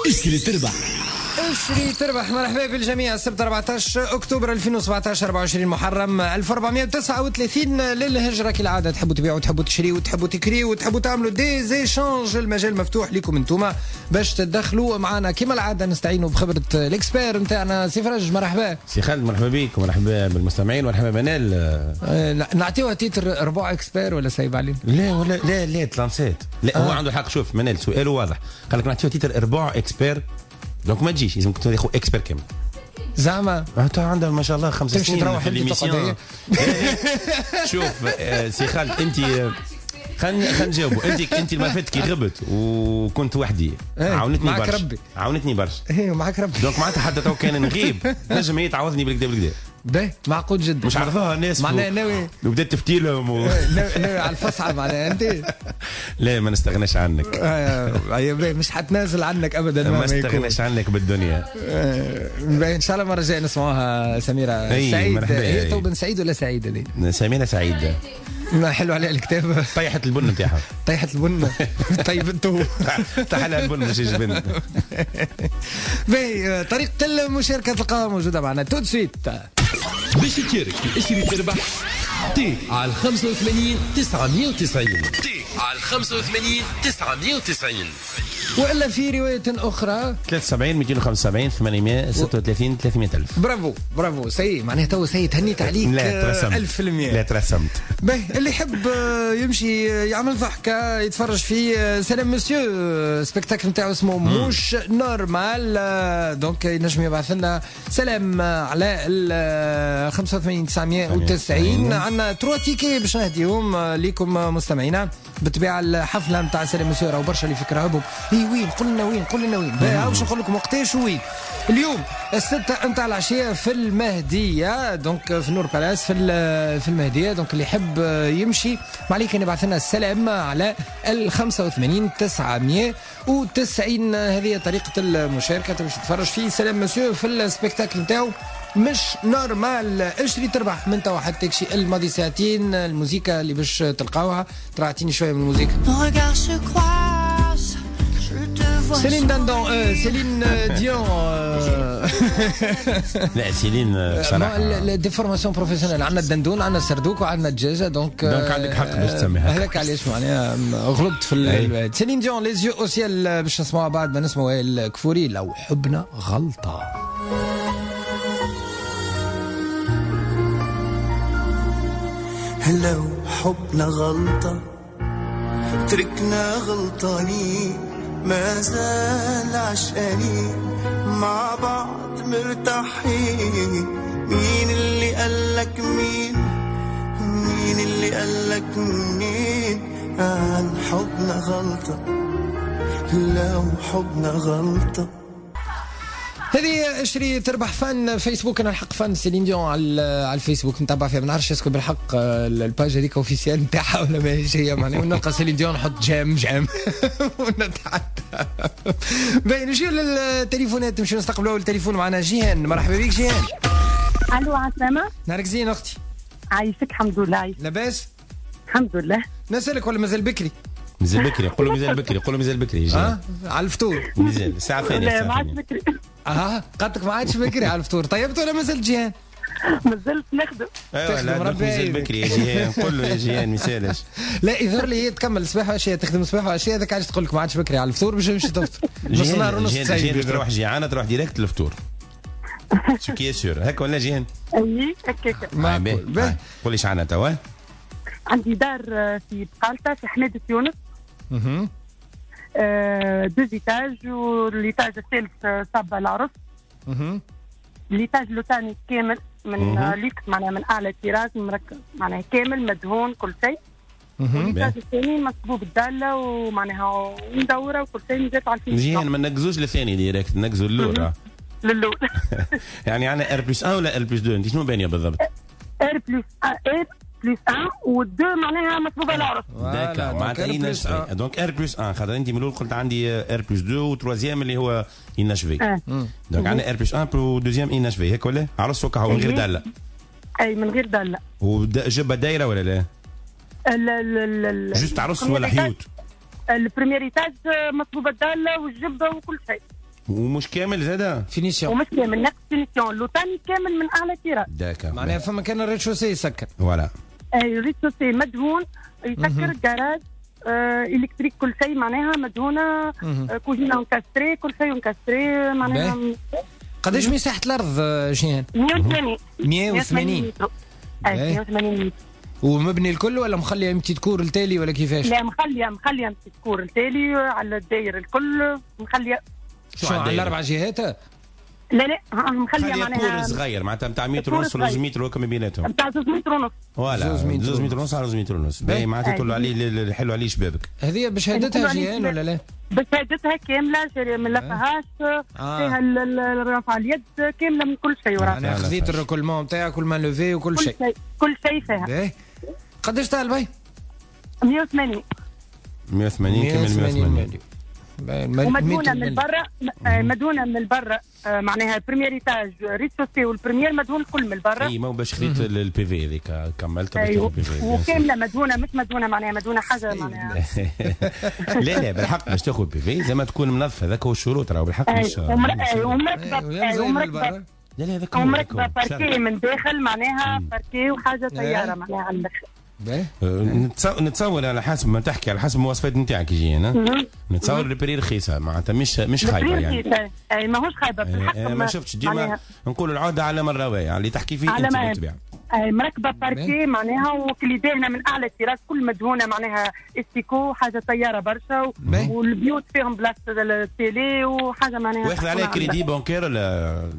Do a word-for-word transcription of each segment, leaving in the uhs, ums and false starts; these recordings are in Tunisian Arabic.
اشري تربح. اشري تربح. مرحبا بالجميع. السبت أربعة عشر اكتوبر ألفين وسبعة عشر، أربعة وعشرين محرم ألف وأربعمية وتسعة وثلاثين للهجرة. كالعادة تحبوا تبيعوا، تحبوا تشريوا، تحبوا تكريوا، وتحبوا تعملوا des échanges، المجال مفتوح لكم انتوما باش تدخلوا معنا. كما العادة نستعينوا بخبرة ال expert نتاعنا سي فرج، مرحبا. سي خالد، مرحبا بك ومرحبا بالمستمعين ومرحبا بنال. آه، نعطيوها titre ربع expert ولا سايب علينا؟ لا ولا لا لا تلانسيت لا. آه. هو عنده حق. شوف منال، سؤاله واضح، قال لك نعطيوها titre ربع expert، donc ما تجيش، لازم تاخذ expert كامل. زعما؟ انت عندها ما شاء الله خمس تمشي سنين تروح في انت l'émission. تقعد. شوف آه، سي خالد، انت خلينا خلينا نجاوبوا. انت انت المرة فاتت كي غبت وكنت وحدي إيه، عاونتني معك برشا. ربي. عاونتني برشا. ايه، معك ربي. donc معناتها حتى تو كان نغيب نجم هي تعوضني بالكدا بالكدا. باهي، معقول جدا. مش عرفوها الناس. معناها ناوي وبدات تفتي لهم و... إيه، ناوي ناوي على الفصعة معناها انت. لا، ما نستغناش عنك. آه، أيوة، باهي، مش حتنازل عنك ابدا. ما مهما يكون. استغناش عنك بالدنيا. آه، باهي، ان شاء الله المرة الجاية نسمعوها سميرة أي، سعيد. مرحبا. هي أي. تو بن سعيد ولا سعيد هذه؟ سميرة سعيد. ما حلو عليها الكتاب. طيحت البن نتاعها. طيحت البن، طيب انتو. طيح لها البن مش الجبن. باهي، آه، طريقه المشاركة تلقاها موجودة معنا tout de suite. باش تشارك في اشري تربح، تي على خمسة وثمانين تسعمية وتسعين، تي على خمسة وثمانين تسعمية وتسعين. والا في رواية اخرى ثلاثة وسبعين مئتين وخمسة وسبعين ثمانمية وستة وثلاثين ثلاثمية ألف. bravo bravo، ça y est معناها تو ça y est تهنيت عليك. لا ترسمت. ألف في المية. لا ترسمت. باهي، اللي يحب آه، يمشي آه، يعمل ضحكة، يتفرج في آه، سلام مسيو، spectacle نتاعو اسمه موش normal، آه، donc ينجم يبعث لنا سلام آه، على ال خمسة وثمانين تسعمية وتسعين. عندنا trois tickets باش نهديهم آه، ليكم آه، مستمعينا. بالطبيعة الحفلة نتاع سلام مسيو راهو برشا اللي فكرة هبهم، اي وين؟ قول لنا وين، قول لنا وين. باهي، باش نقول لكم وقتاش وين. اليوم الستة نتاع العشية في المهدية، donc في نور بالاس في ال- في المهدية. donc اللي يحب يمشي ما عليك ان يبعث لنا السلام على ال خمسة وثمانين تسعمية وتسعين. هذه طريقة المشاركة باش تتفرج في سلام مسيو في ال spectacle نتاعو مش normal. اشري تربح من توا حتى شي الماضي ساعتين. الموسيقى اللي باش تلقاوها، ترى اعطيني شوية من الموسيقى. Nos regards se croisent, je te vois. سيلين داندون، آه، سيلين آه، ديون آه، لا سيلين آه، بصراحة déformation professionnelle، عندنا الدندون، عندنا السردوك، وعندنا الدجاجه، donc donc عندك حق باش تسميها. هذاك علاش معناها غلطت في أي. ال- سيلين ديون، les yeux au ciel، باش نسمعوها بعد ما نسمعوا الكفوري لو حبنا غلطه. لو حبنا غلطة تركنا غلطانين، ما زال عشقانين مع بعض مرتاحين. مين اللي قالك مين، مين اللي قالك مين عن حبنا غلطة؟ لو حبنا غلطة. هذه اشري تربح fan فيسبوك. انا الحق fan سيلين ديون على على الفيسبوك، نتبع فيها. ما نعرفش est-ce que بالحق آه، ال page هذيك officielle نتاعها ولا ماهيش هي، معناها ونلقى سيلين ديون نحط j'aime j'aime ونتعدى. باهي، نمشيو للتليفونات، نمشيو نستقبلوا التليفون. معنا جيهان، مرحبا بك جيهان. الو، عسلامة. نهارك زين اختي. عايشك، الحمد لله، عايشك. لاباس؟ الحمد لله. نسألك ولا مازال بكري؟ مازال بكري، قول له مازال بكري، قول له مازال بكري. اه على الفطور. مازال الساعة الثانية. لا، ما الساعة عادش الثانية. بكري. اه قالت ما عادش بكري على الفطور. طيبت ولا مازال جيهان؟ مازلت نخدم. ايوه. تخدم، لا ربي مازال يعينك. بكري يا جيهان، قول له يا جيهان ما يسالش. لا، يظهر لي هي تكمل صباح وعشيه، تخدم صباح وعشيه، هذاك علاش تقول لك ما عادش بكري على الفطور باش نمشي تفطر نص نهار جيهان ونص. جيهان تسيب. جيهان باش تروح جيعانة تروح direct للفطور، ce qui est sûr، هكا ولا جيهان؟ اي، هكاك. آه، باهي. باهي. آه، قولي ايش عندنا توا. عندي دار آه، في بقالطة في حمادة يونس. مهم. آه، deux étages، و l'étage الثالث آه، صابة العرس. مهم. l'étage لوتاني كامل من مهم. آه، ليكس، معناها من اعلى طراز، مركب معناها كامل مدهون كل شيء. مهم. و l'étage الثاني مصبوب الدالة ومعناها مدورة وكل شيء، جات على ال finition. جيهان، ما نقزوش للثاني direct، نقزوا للاول. للاول. يعني عندنا R plus واحد ولا R plus اثنين؟ انت شنو بانيه بالضبط؟ R plus R plus واحد و اثنين معناها مصبوبه العرس. d'accord، معناتها inachevé، donc R plus واحد، خاطر انت من الاول قلت عندي R plus اثنين و troisième اللي هو inachevé، donc عندنا R plus واحد و deuxième inachevé، هيك ولا؟ عرس وكا من غير داله. اي، من غير داله. وجبة دايرة ولا لا؟ ال juste عرس ولا حيوت؟ ال premier étage مصبوبه الدالة والجبه وكل شيء. ومش كامل زاده finition، ومش كامل، ناقص finition. اللوطاني كامل من اعلى طراز. d'accord، معناها فما كان ال rez-de-chaussée يسكر. voilà، اي ال rez-de-chaussée مدهون يسكر، الجراج آه électrique، كل شيء معناها مدهونه، آه كوزينه encastrée، كل شيء encastré معناها. قداش مساحة الارض جيهان؟ مية وثمانين. مية وثمانين. اي مية وثمانين متر. ومبني الكل ولا مخليه petite cour التالي ولا كيفاش؟ لا، مخليه مخليه petite cour التالي على الداير الكل مخليه. شو على الاربع جهات؟ لا لا، مخليه معناها cour صغير معناتها نتاع متر ونص ولا زوج متر وكم بيناتهم؟ نتاع زوج متر ونص. voilà، زوج متر ونص على زوج متر ونص. باهي، معناتها تقول عليه حلو عليه شبابك. هذه بشهادتها جيهان ولا لا؟ بشهادتها كاملة، من لا فيهاش فيها رفع اليد كاملة من كل شيء. يعني خذيت ال récolement نتاعك وال main levée وكل شيء. كل شيء فيها. باهي، قداش تاع البي؟ مية وثمانين. مية وثمانين كامل مية وثمانين. ومدهونه من برا، مدهونه من برا معناها premier étage rez-de-chaussée وال premier مدهون الكل من برا. اي ما هو باش خذيت ال PV هذيك كملت باش تاخذ ال PV. وكامله مدهونه، مش مدهونه معناها مدهونه حاجة معناها. لا لا، بالحق باش تاخذ PV زي ما تكون منظفه، هذاك هو الشروط راهو بالحق. مش ومركبه ومركبه لا لا، هذاك ومركبه باركي من داخل معناها باركي وحاجه طيارة معناها على الاخر. نتصور على حسب ما تحكي، على حسب المواصفات نتاعك يجي نتصور ال prix رخيصة معناتها مش مش خايبة يعني. اي ماهوش خايبة في الحق. ما شفتش ديما نقولوا العودة على من رواية، اللي تحكي فيه انت بالطبيعة. اي مركبة باركي معناها وكلي داهنه من اعلى التراس كل مدهونه معناها stucco حاجة طيارة برشا، والبيوت فيهم بلاصة ال télé وحاجه معناها. واخذ عليها crédit bancaire ولا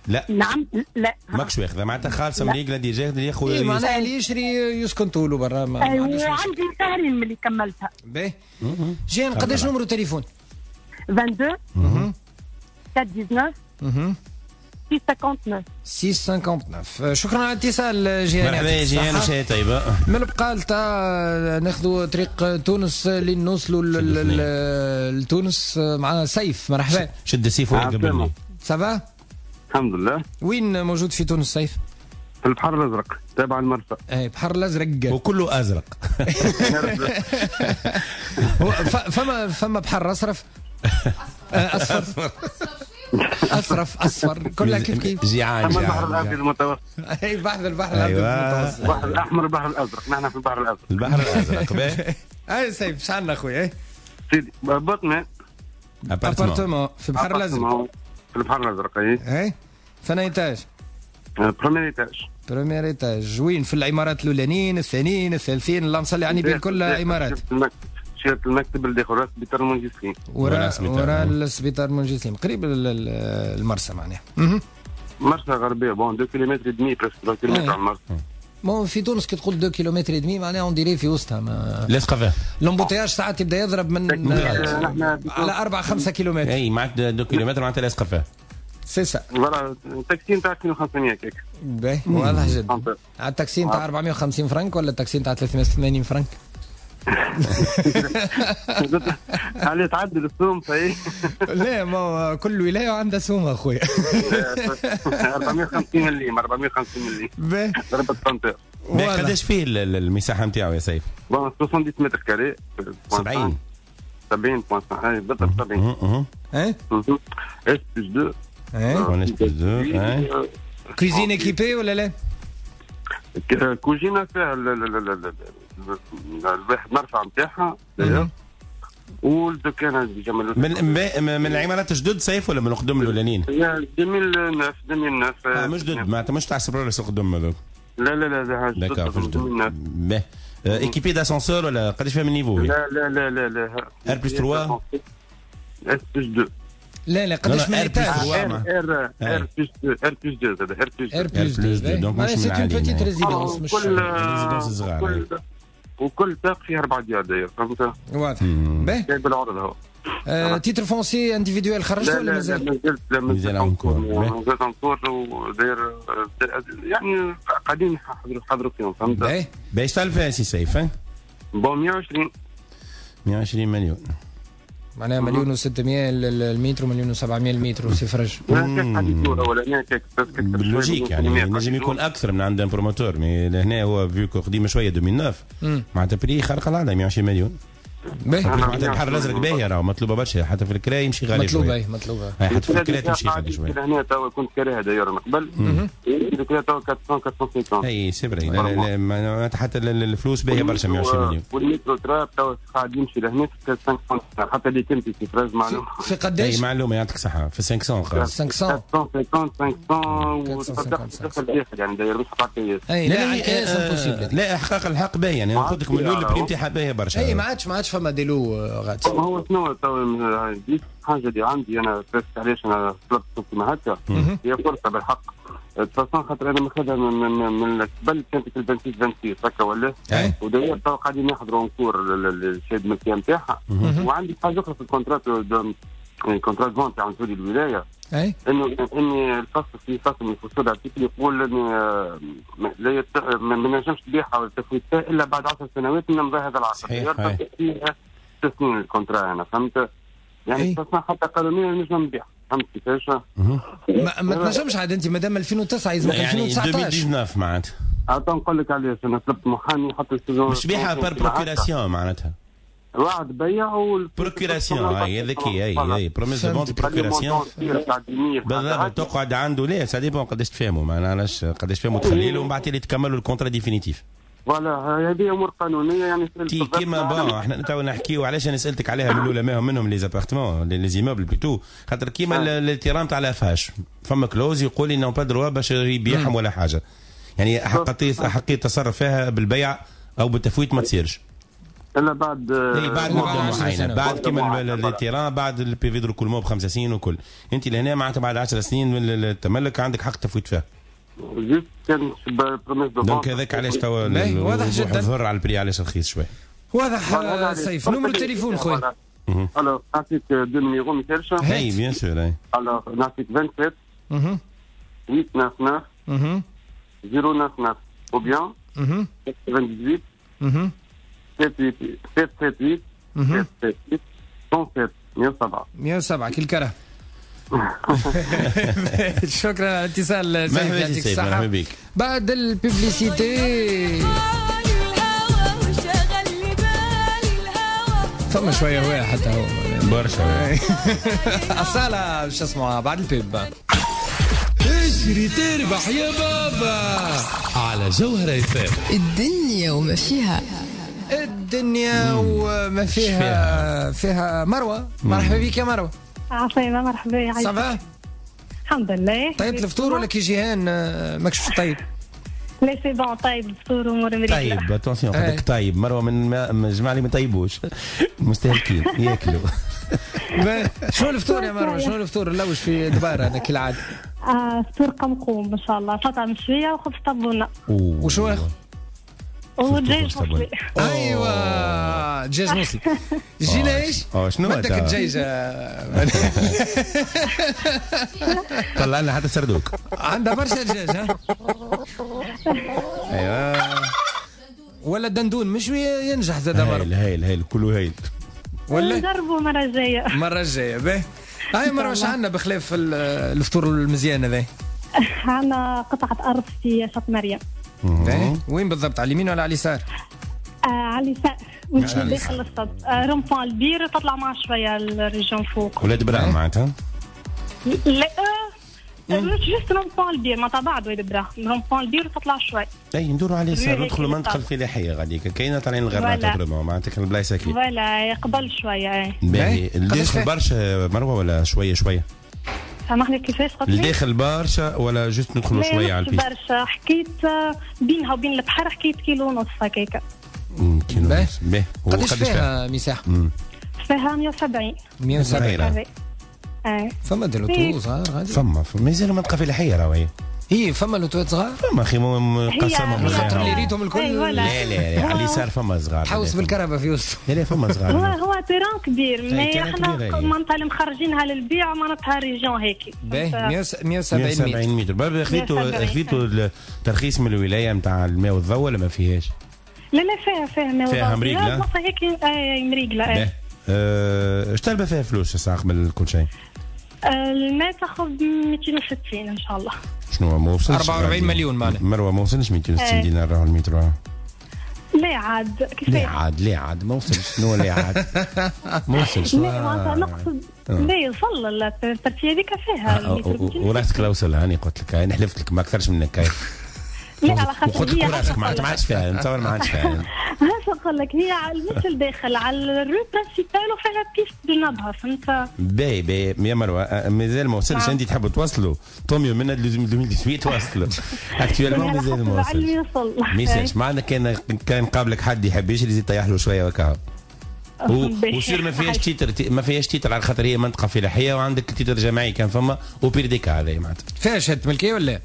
لا؟ نعم لا، ماكش واخذه معناتها خالصة من ريقله déjà اللي ياخذ. اي معناها اللي يشري يسكن طوله برا. ايوه، وعندي شهرين من اللي كملتها. باهي جيهان، قداش numéro تليفون؟ اثنين وعشرين أربعة تسعة ستة خمسة وتسعة ستة خمسة. شكرا على الاتصال جيهان. مرحبا يا جيهان، وشهية طيبة. من البقال تاع ناخذوا طريق تونس لين نوصلوا لتونس مع سيف. مرحبا. شد سيف وقبلني. ça va؟ الحمد لله. وين موجود في تونس سيف؟ في البحر الازرق تابع المرسى. اي بحر الازرق وكله ازرق. فما فما بحر اصرف اصفر اصرف اصفر كلها كيف كيف. جيعان جيعان. البحر الابيض المتوسط. اي بحر البحر الابيض المتوسط. البحر الاحمر البحر الازرق، نحن في البحر الازرق. البحر الازرق. باهي. اي سيف اش عندنا خويا؟ سيدي بطنه appartement في البحر الازرق. في البحر الازرق. اي اي فين étage؟ premier étage. premier étage وين؟ في العمارات الاولانيين الثانيين الثالثين، اللهم صل على النبي، الكل عمارات. شيرة المكتب اللي داخل راس سبيطار منجي سليم. وراء وراء السبيطار منجي سليم، قريب المرسى معناها. مرسى غربية، bon deux kilomètres demi presque، deux kilomètres على المرسى. bon في تونس كي تقول deux kilomètres demi معناها on dirait في وسطها ما لاصقه فيها. l'embouteillage ساعات يبدا يضرب من على أربعة خمسة كيلومتر. اي معناتها deux kilomètres معناتها لاصقه فيها. c'est ça. voilà التاكسي نتاع ألفين وخمسمية كيك. باهي واضح جدا. على التاكسي نتاع أربعمية وخمسين فرنك ولا التاكسي نتاع ثلاثمية وثمانين فرنك؟ عليه تعدل السوم صحيح. لا ما كل ولاية عندها سوم اخويا. أربعمية وخمسين مليم، أربعمية وخمسين مليم ضربة بانتير. قداش فيه المساحة نتاعو يا سيف؟ bon سبعين mètres carrés. سبعين سبعين بالضبط سبعين. ايه S plus deux. ايه S plus deux. cuisine équipée ولا لا؟ كوزينه فيها الواحد مرفع نتاعها والدكانه déjà من من العمارات جدد سيف ولا من القدم الاولانيين؟ ألفين وتسعة ألفين وتسعة. اه مش جدد معناتها مش تاع سبرولس القدم هذوك. لا لا لا لا جدد. باهي équipée d'ascenseur ولا قداش فيها من niveau؟ لا لا لا لا لا R plus ثلاثة S plus اثنين. لا لا قداش من étage؟ R R plus اثنين R plus اثنين زاد R plus R plus اثنين. donc مش c'est une petite résidence، مش résidence صغار. وكل طاق فيه اربع ديار داير، فهمت؟ واضح. باهي بالعرض هو. titre foncier individuel خرجته ولا مازال؟ مازال لا مازال encore، مازال encore وداير يعني قاعدين نحضروا حضروا فيهم، فهمت؟ باهي. باش تعرف فيها سي سيف؟ bon مية وعشرين مية وعشرين مليون معناها مليون وستمية المتر ومليون وسبعمية المتر سي فرج. بال logique يعني نجم يكون اكثر من عند promoteur، mais لهنا هو vu que قديم شوية ألفين وتسعة معناتها prix خارق العادة مية وعشرين مليون. معناتها البحر الازرق باهيه راهو مطلوبه برشا حتى في الكراي يمشي غالي مطلوبه اي مطلوبه حتى في الكراي تمشي غالي شوية. هنا توا كنت كاريها d'ailleurs من قبل الكراي توا أربعمية أربعمية وخمسين. اي c'est vrai لا حتى الفلوس باهيه برشا مية وعشرين مليون. والمترو تراب توا قاعد يمشي لهنا خمسمية حتى اللي كنت في فراز معلومة. في قداش؟ اي معلومة يعطيك الصحة في خمسمية خمسمية خمسمية وخمسين وتصدق تدخل داخل يعني d'ailleurs مش حتى اي لا الكاس impossible. لا احقاق الحق باهي يعني قلت لك من الاول ال prix نتاعها باهيه برشا. اي ما عادش ما عادش فما des lots غادي. هو شنو تو حاجة اللي عندي انا علاش انا طلبت كيما هكا هي فرصة بالحق façon خاطر انا ماخذها من من من قبل كانت في ال vingt-six vingt-six هكا ولا و d'ailleurs تو قاعدين يحضروا encore الشهادة الملكية نتاعها. وعندي حاجة اخرى في ال contrat ال contrat vente تاع مسؤولي الولاية انه اني الفصل في فصل من فصول article يقول اني لا يت... ما نجمش تبيعها ولا تفوتها الا بعد عشر سنوات من امضاء هذا العقد. صحيح. فيها ست سنين ال contrat انا فهمت يعني حتى قانونيا نجم نبيع فهمت كيفاش؟ ما, ما تنجمش عاد انت مادام ألفين وتسعة يلزمك يعني ألفين وتسعطاش ألفين وتسعطاش معناتها. عاد نقول لك علاش انا طلبت محامي حتى مش بيعها par procuration معناتها. وعد بيع وال procuration هاي هذيك هي هي promesse de vente procuration بالضبط تقعد عنده لا ça dépend قداش تفهموا ما علاش قداش تفهموا تخلي له ومن بعد اللي تكملوا ال contrat définitif. voilà هذه امور قانونية يعني تي كيما bon احنا تو نحكيو علاش انا سالتك عليها من الاولى ما منهم les appartements les immeubles plutôt خاطر كيما ال terrain تاع لافاش فما clause يقول لي n'ont pas droit باش يبيعهم ولا حاجة يعني احقية احقية التصرف فيها بالبيع او بالتفويت ما تصيرش الا بعد اي بعد مده معينة بعد كيما ال terrain بعد ال PV de l'écoulement بخمس سنين وكل انت لهنا معناتها بعد عشر سنين من التملك عندك حق تفويت فيها. juste كان promesse de donc هذاك علاش توا واضح جدا ظهر على ال prix علاش رخيص شوي. واضح سيف. numéro التليفون خويا. alors نعطيك deux numéros ما يسالش. اي bien sûr اي. alors نعطيك سبعة وعشرين ثمانية تسعة تسعة صفر تسعة تسعة ou bien ثمانية وثمانين سبعة سبعة ثمانية سبعة سبعة مية وسبعة مية وسبعة كل كره. شكرا على الاتصال سيف يعطيك الصحة. بعد ال publicité فما شوية هواء حتى هو برشا أصالة باش نسمعوها بعد ال pub. اجري تربح يا بابا على جوهرة اف ام. الدنيا وما فيها الدنيا وما فيها فيها مروة. مرحبا بك يا مروة. عسلامة مرحبا يا ça va؟ الحمد لله. طيبت الفطور ولا كي جيهان ماكش باش طيب؟ لا c'est bon طيب الفطور وامور مريقله. طيب attention قلت طيب مروه من الجماعة اللي ما طيبوش مستهلكين ياكلوا. شنو الفطور يا مروه؟ شنو الفطور؟ نلوج في دباره انا كالعادة. فطور قمقوم ان شاء الله، فطا مشوية وخبز طابونه. وشو اخر؟ ودجاج مصلي. ايوه دجاج مصلي. جينا ايش؟ اه شنو بدك الدجاجة؟ طلع لنا حتى سردوك. عندها برشا دجاج ها؟ ايوه ولا دندون مشوي ينجح زاد مرة. هايل هايل هايل كله هايل. ولا نجربوا المرة الجاية. المرة الجاية باهي. هاي مروه واش عندنا بخلاف الفطور المزيان هذا؟ عندنا قطعه ارض في شط مريم. وين بالضبط؟ على اليمين ولا على اليسار؟ آه على اليسار وانت داخل السطح آه rond-point البير تطلع مع شوية ال région فوق. ولاد براهم معناتها؟ لا مش juste rond-point البير معناتها بعد ولاد براهم rond-point البير تطلع شوي. اي ندوروا على اليسار ندخلوا المنطقة الفلاحية غاديك كاينه طالعين الغرناطه معناتها البلايص هكي. voilà قبل شوية. اي باهي الداخل برشا مروه ولا شوية شوية؟ سامحني كيفاش قلت لي؟ الداخل برشا ولا juste ندخلوا شوية على ال piste؟ برشا حكيت بينها وبين البحر حكيت كيلو ونص هكاكا. كيلو ونص باهي. قداش فيها مساحة؟ فيها مية وسبعين. مية وسبعين. اي فما des lots صغار غادي؟ فما مازالوا منطقة فلاحية راهو هي. اي فما لوتوات صغار؟ فما اخي مقسمهم خاطر اللي ريتهم الكل. لا لا لا على اليسار فما صغار. تحوس بالكرهبه في وسط. لا لا فما صغار. هو هو terrain كبير mais احنا معناتها اللي مخرجينها للبيع معناتها région هيك. باهي مية وسبعين متر. بابا خذيتوا خذيتوا الترخيص من الولاية نتاع الماء والضوء ولا ما فيهاش؟ لا لا فيها فيها ماء والضوء. فيها مريقله؟ هيك اي مريقله. اش طالبه فيها فلوس الساعة قبل كل شيء؟ الماء تاخذ مئتين وستين ان شاء الله. شنو ما وصلش أربعة وأربعين مليون معناها. مروه ما وصلش مئتين وستين دينار راهو المتر. لا عاد كيفاش؟ لا عاد لا عاد ما وصلش. شنو لا عاد؟ ما وصلش. لا معناتها نقصد لا يوصل ال partie هذيك فيها. وراسك لا وصل، هاني قلت لك انا حلفت لك ما اكثرش منك. لا على خاطر قلت لك وراسك ما عادش فيها، نتصور ما عادش فيها. هاش نقول لك، هي مش الداخل على ال rue principale وفيها piste بنبها، فهمت؟ باهي باهي يا مروه، مازال ما وصلش. انت تحب توصلوا tant mieux من ألفين وثمنطاش توصلوا actuellement مازال ما وصلش. ما يسالش معنا، كان كان قابلك حد يحب يشري يزيد يطيح له شوية وكا. و sûr ما فيهاش titre، ما فيهاش titre على خاطر هي منطقة فلاحية وعندك titre جماعي كان فما au pire des cas هذا معناتها. فيها شهادة ملكية ولا؟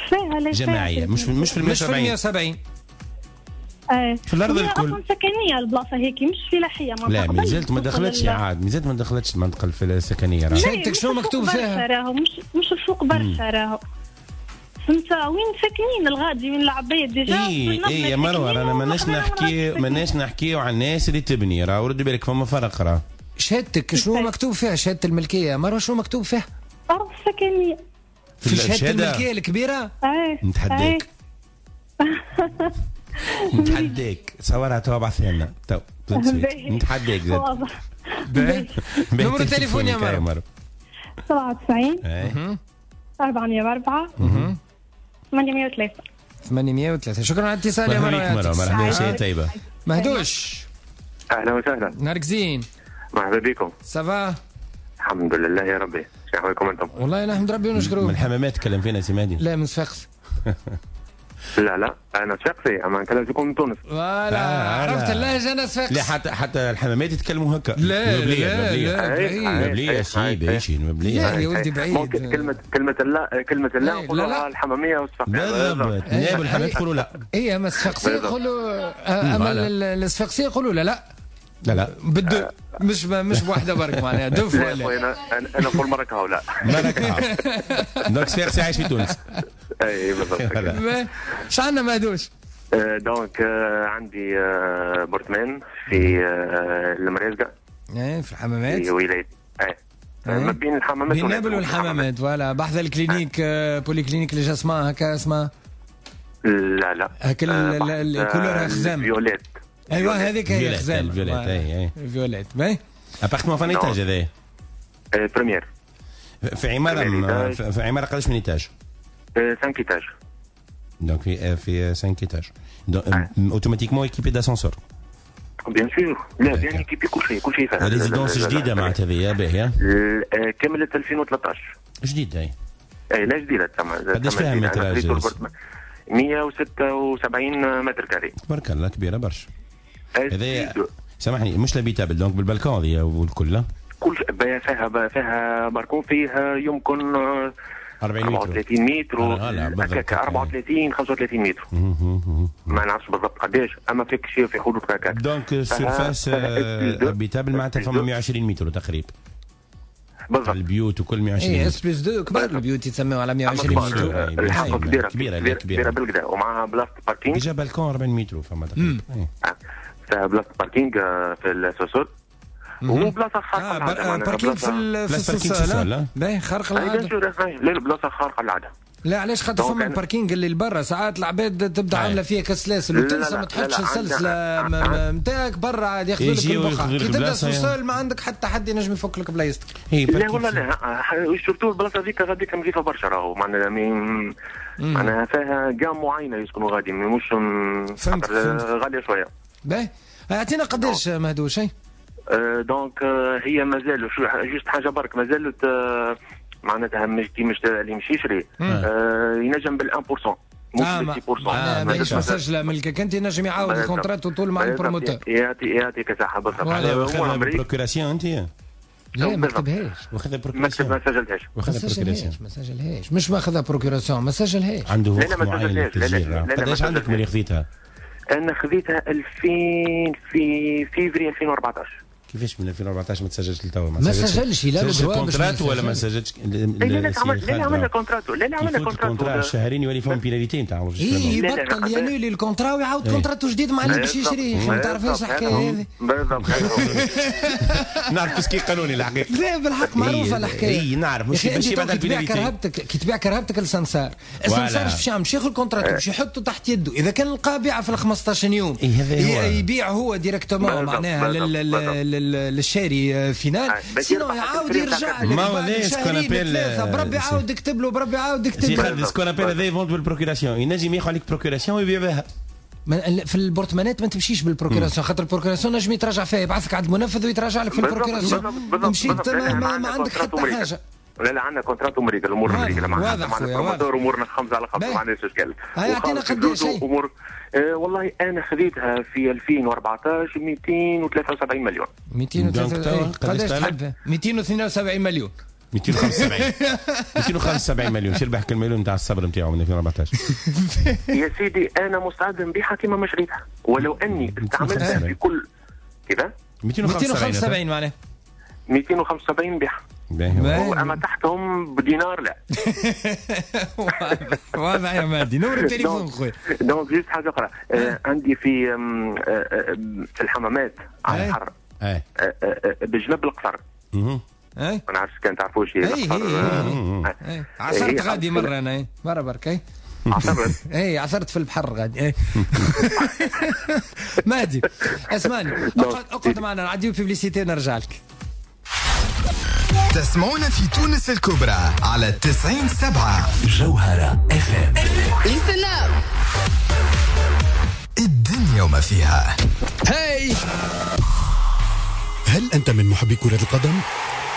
فيها لا جماعية، مش مش في مية وسبعين. ايه في الارض الكل اصلا سكنية البلاصة هيك مش فلاحية. لا مازالت ما دخلتش عاد، مازالت ما دخلتش المنطقة السكنية. راه شهادتك شنو مكتوب فيها؟ راهو مش مش الفوق برشا راهو، فهمت؟ وين ساكنين الغادي وين العباد déjà. اي اي يا مروه رانا ماناش نحكي ماناش نحكيو على الناس اللي تبني، راه ردوا بالك فما فرق. راه شهادتك شنو مكتوب فيها؟ شهادة الملكية مروه شنو مكتوب فيها؟ ارض سكنية في شهادة الملكية الكبيرة؟ ايه نتحداك نتحداك صورها تو ابعثها لنا تو نتحداك زاد. واضح. نمرو التليفون يا مروه؟ سبعة وتسعين أربعمية وأربعة ثمانمية وثلاثة ثمانمية وثلاثة. شكرا على الاتصال يا مروه. مرحبا مرحبا، شيء طيبة. مهدوش اهلا وسهلا، نهارك زين. مرحبا بكم. ça va؟ الحمد لله يا ربي، شنو احوالكم انتم؟ والله نحمد ربي ونشكروه. من الحمامات تكلم فينا سي مهدي؟ لا من صفاقس. لا لا انا صفاقسي، اما نكلم فيكم من تونس. voilà عرفت اللهجة، انا صفاقسي. لا حتى حتى الحمامات يتكلموا هكا. لا لا لا مبليه سي باش مبليه. لا يا ولدي بعيد. كلمة كلمة لا كلمة لا نقولوها الحماميه والصفاقسيه. بالضبط، ناب الحمامات يقولوا لا. اي اما الصفاقسيه يقولوا، اما الصفاقسيه يقولوا لا لا لا لا بالدو، مش مش بواحدة برك معناها deux fois. لا انا انا نقول مرة كهو لا مرة كهو. donc صفاقسي عايش في تونس. اي بالضبط. اش عندنا مهدوش؟ donc عندي appartement في المريزقه. ايه في الحمامات. في ولاية ايه ما بين الحمامات بين نابل والحمامات. voilà بحذا ال clinique polyclinique les Jasmins هكا اسمها. لا لا هكا ال couleur خزامة violette. ايوا هذيك هي خزامة violette. اي اي violette. باهي appartement في étage هذايا؟ première في عمارة، في عمارة قداش من étage؟ خمسة étages. donc في في خمسة étages automatiquement équipé d'ascenseur. bien sûr، لا bien équipé كل شيء كل شيء فيها. résidence جديدة معناتها هذه باهيه؟ كملت ألفين وثلاثطاش. جديدة اي. اي لا جديدة تسمى. قداش فيها métrage؟ مية وستة وسبعين mètres carrés. تبارك الله كبيرة برشا. هذايا سامحني مش l'habitable donc بال balcon هذه والكل. كل فيها فيها بالكون فيها يمكن أربعين متر أربعة وثلاثين متر هكاك أربعة وثلاثين خمسة وثلاثين متر ما نعرفش بالضبط قداش، اما فيك شيء في حدود هكاك. donc surface habitable معناتها فما مية وعشرين متر تقريبا. بالضبط البيوت وكل مية وعشرين. اي S plus deux كبار البيوت يتسموا على مية وعشرين متر. الحق كبيرة كبيرة كبيرة, كبيرة بالكدا ومعها بلاصة parking. déjà balcon أربعين متر فما تقريبا. فيها بلاصة parking في ال sous-sol وبلاصه خارقة العادة. parking في في ال sous-sol باهي خارقة العادة. لا بلاصة خارقة العادة. لا علاش خاطر فما ال parking اللي لبرا ساعات العباد تبدا عامله فيها كسلاسل وتنسى ما تحطش السلسلة نتاعك برا عاد ياخذوا لك البقعة. كي تبدا sous-sol ما عندك حتى حد ينجم يفك لك بلايصتك. لا والله لا، surtout البلاصة هذيك غاديك نظيفة برشا راهو معناها معناها فيها gamme معينة يسكنوا غادي مش فهمت غالية شوية. باهي اعطينا قداش مهدوش؟ donc هي مازال juste حاجة برك مازالت معناتها مش كي مش اللي مش يشري آه ينجم بال واحد بالمية مش بال ستة بالمية. آه ماهيش مسجله ملكك انت ينجم يعاود ال contrat طول مع ال promoteur. يعطي يعطيك صحة بالضبط. واخذها procuration انت؟ لا ما كتبهاش. واخذها procuration؟ ما سجلتهاش. واخذها procuration ما سجلهاش. مش ماخذها procuration ما سجلهاش. عنده وقت معين للتسجيل. قداش عندك من اللي خذيتها؟ انا خذيتها ألفين في فيفري ألفين وأربعطاش. كيفاش من ألفين وأربعطاش ما تسجلش لتوا؟ ما سجلش لا سجل contrat ولا ما سجلش؟ لا لا لا عملنا contrat، لا لا عملنا contrat شهرين يولي فيهم pénalité نتاع اي يبطل ي annuler ال contrat ويعاود contrat جديد مع اللي باش يشريه. ما تعرفهاش الحكاية هذه؟ بالضبط. نعرف ce qui قانوني الحقيقة. لا بالحق معروفة الحكاية. اي نعرف مش باش يبعد ال pénalité. كرهبتك كي تبيع كرهبتك للسمسار، السمسار باش يعمل؟ باش ياخذ ال contrat باش يحطه تحت يده، اذا كان لقى بيعه في ال خمسطاش يوم يبيع هو directement معناها للشاري final، sinon يعاود يرجع ما هو ce qu'on appelle بربي عاود اكتب له، بربي عاود اكتب له. ce qu'on appelle هذا vente بال procuration، ينجم ياخذ عليك procuration ويبيع بها. في البورتمانات ما تمشيش بال procuration، خاطر ال procuration نجم يتراجع فيها، يبعثك عند المنفذ ويتراجع لك في ال procuration. مشيت ما, ما, ما عندك حتى حاجة. لا لا عندنا contrat مريقل، الامور مريقله مع مع ال promoteur، امورنا خمسة على خمسة ما عندناش اشكال. يعطينا قداش امور؟ آه والله انا خذيتها في ألفين وأربعطاش مئتين وثلاثة وسبعين مليون. مئتين وثلاثة وسبعين قداش تحب؟ مئتين واثنين وسبعين مليون. مئتين وخمسة وسبعين مئتين وخمسة وسبعين مليون. شو ربح كل مليون نتاع الصبر نتاعو من ألفين وأربعطاش؟ يا سيدي انا مستعد نبيعها كما ما شريتها، ولو اني استعملتها في كل كذا. مئتين وخمسة وسبعين معناها مئتين وخمسة وسبعين بيعها، اما تحتهم بدينار لا. واضح يا مهدي. نور التليفون خويا. donc juste حاجة اخرى، آه عندي في آه في الحمامات على البحر آه بجنب القصر. اي ما نعرفش كان تعرفوا شي القصر. عثرت غادي مرة انا، مرة برك. عثرت؟ اي عثرت في البحر غادي. مهدي اسمعني، اقعد اقعد معنا نعديو publicité نرجع لك. تسمعون في تونس الكبرى على تسعين سبعة جوهرة اف ام. الدنيا وما فيها. هاي هل أنت من محبي كرة القدم؟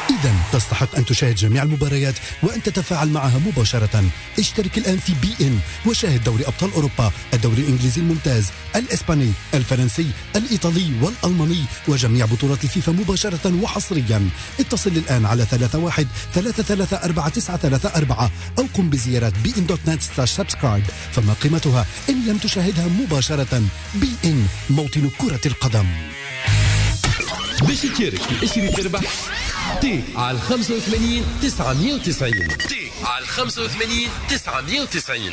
إذا تستحق أن تشاهد جميع المباريات وأن تتفاعل معها مباشرة. اشترك الآن في بي إن وشاهد دوري أبطال أوروبا، الدوري الإنجليزي الممتاز، الإسباني، الفرنسي، الإيطالي والألماني، وجميع بطولات الفيفا مباشرة وحصريا. اتصل الآن على ثلاثة واحد ثلاثة ثلاثة أربعة تسعة ثلاثة أربعة أو قم بزيارة بي إن دوت نت سلاش سبسكرايب. فما قيمتها إن لم تشاهدها مباشرة؟ بي إن، موطن كرة القدم. باش تشارك في اشري تربح تي على خمسة وثمانين تسعمية وتسعين. تي على خمسة وثمانين تسعمية وتسعين.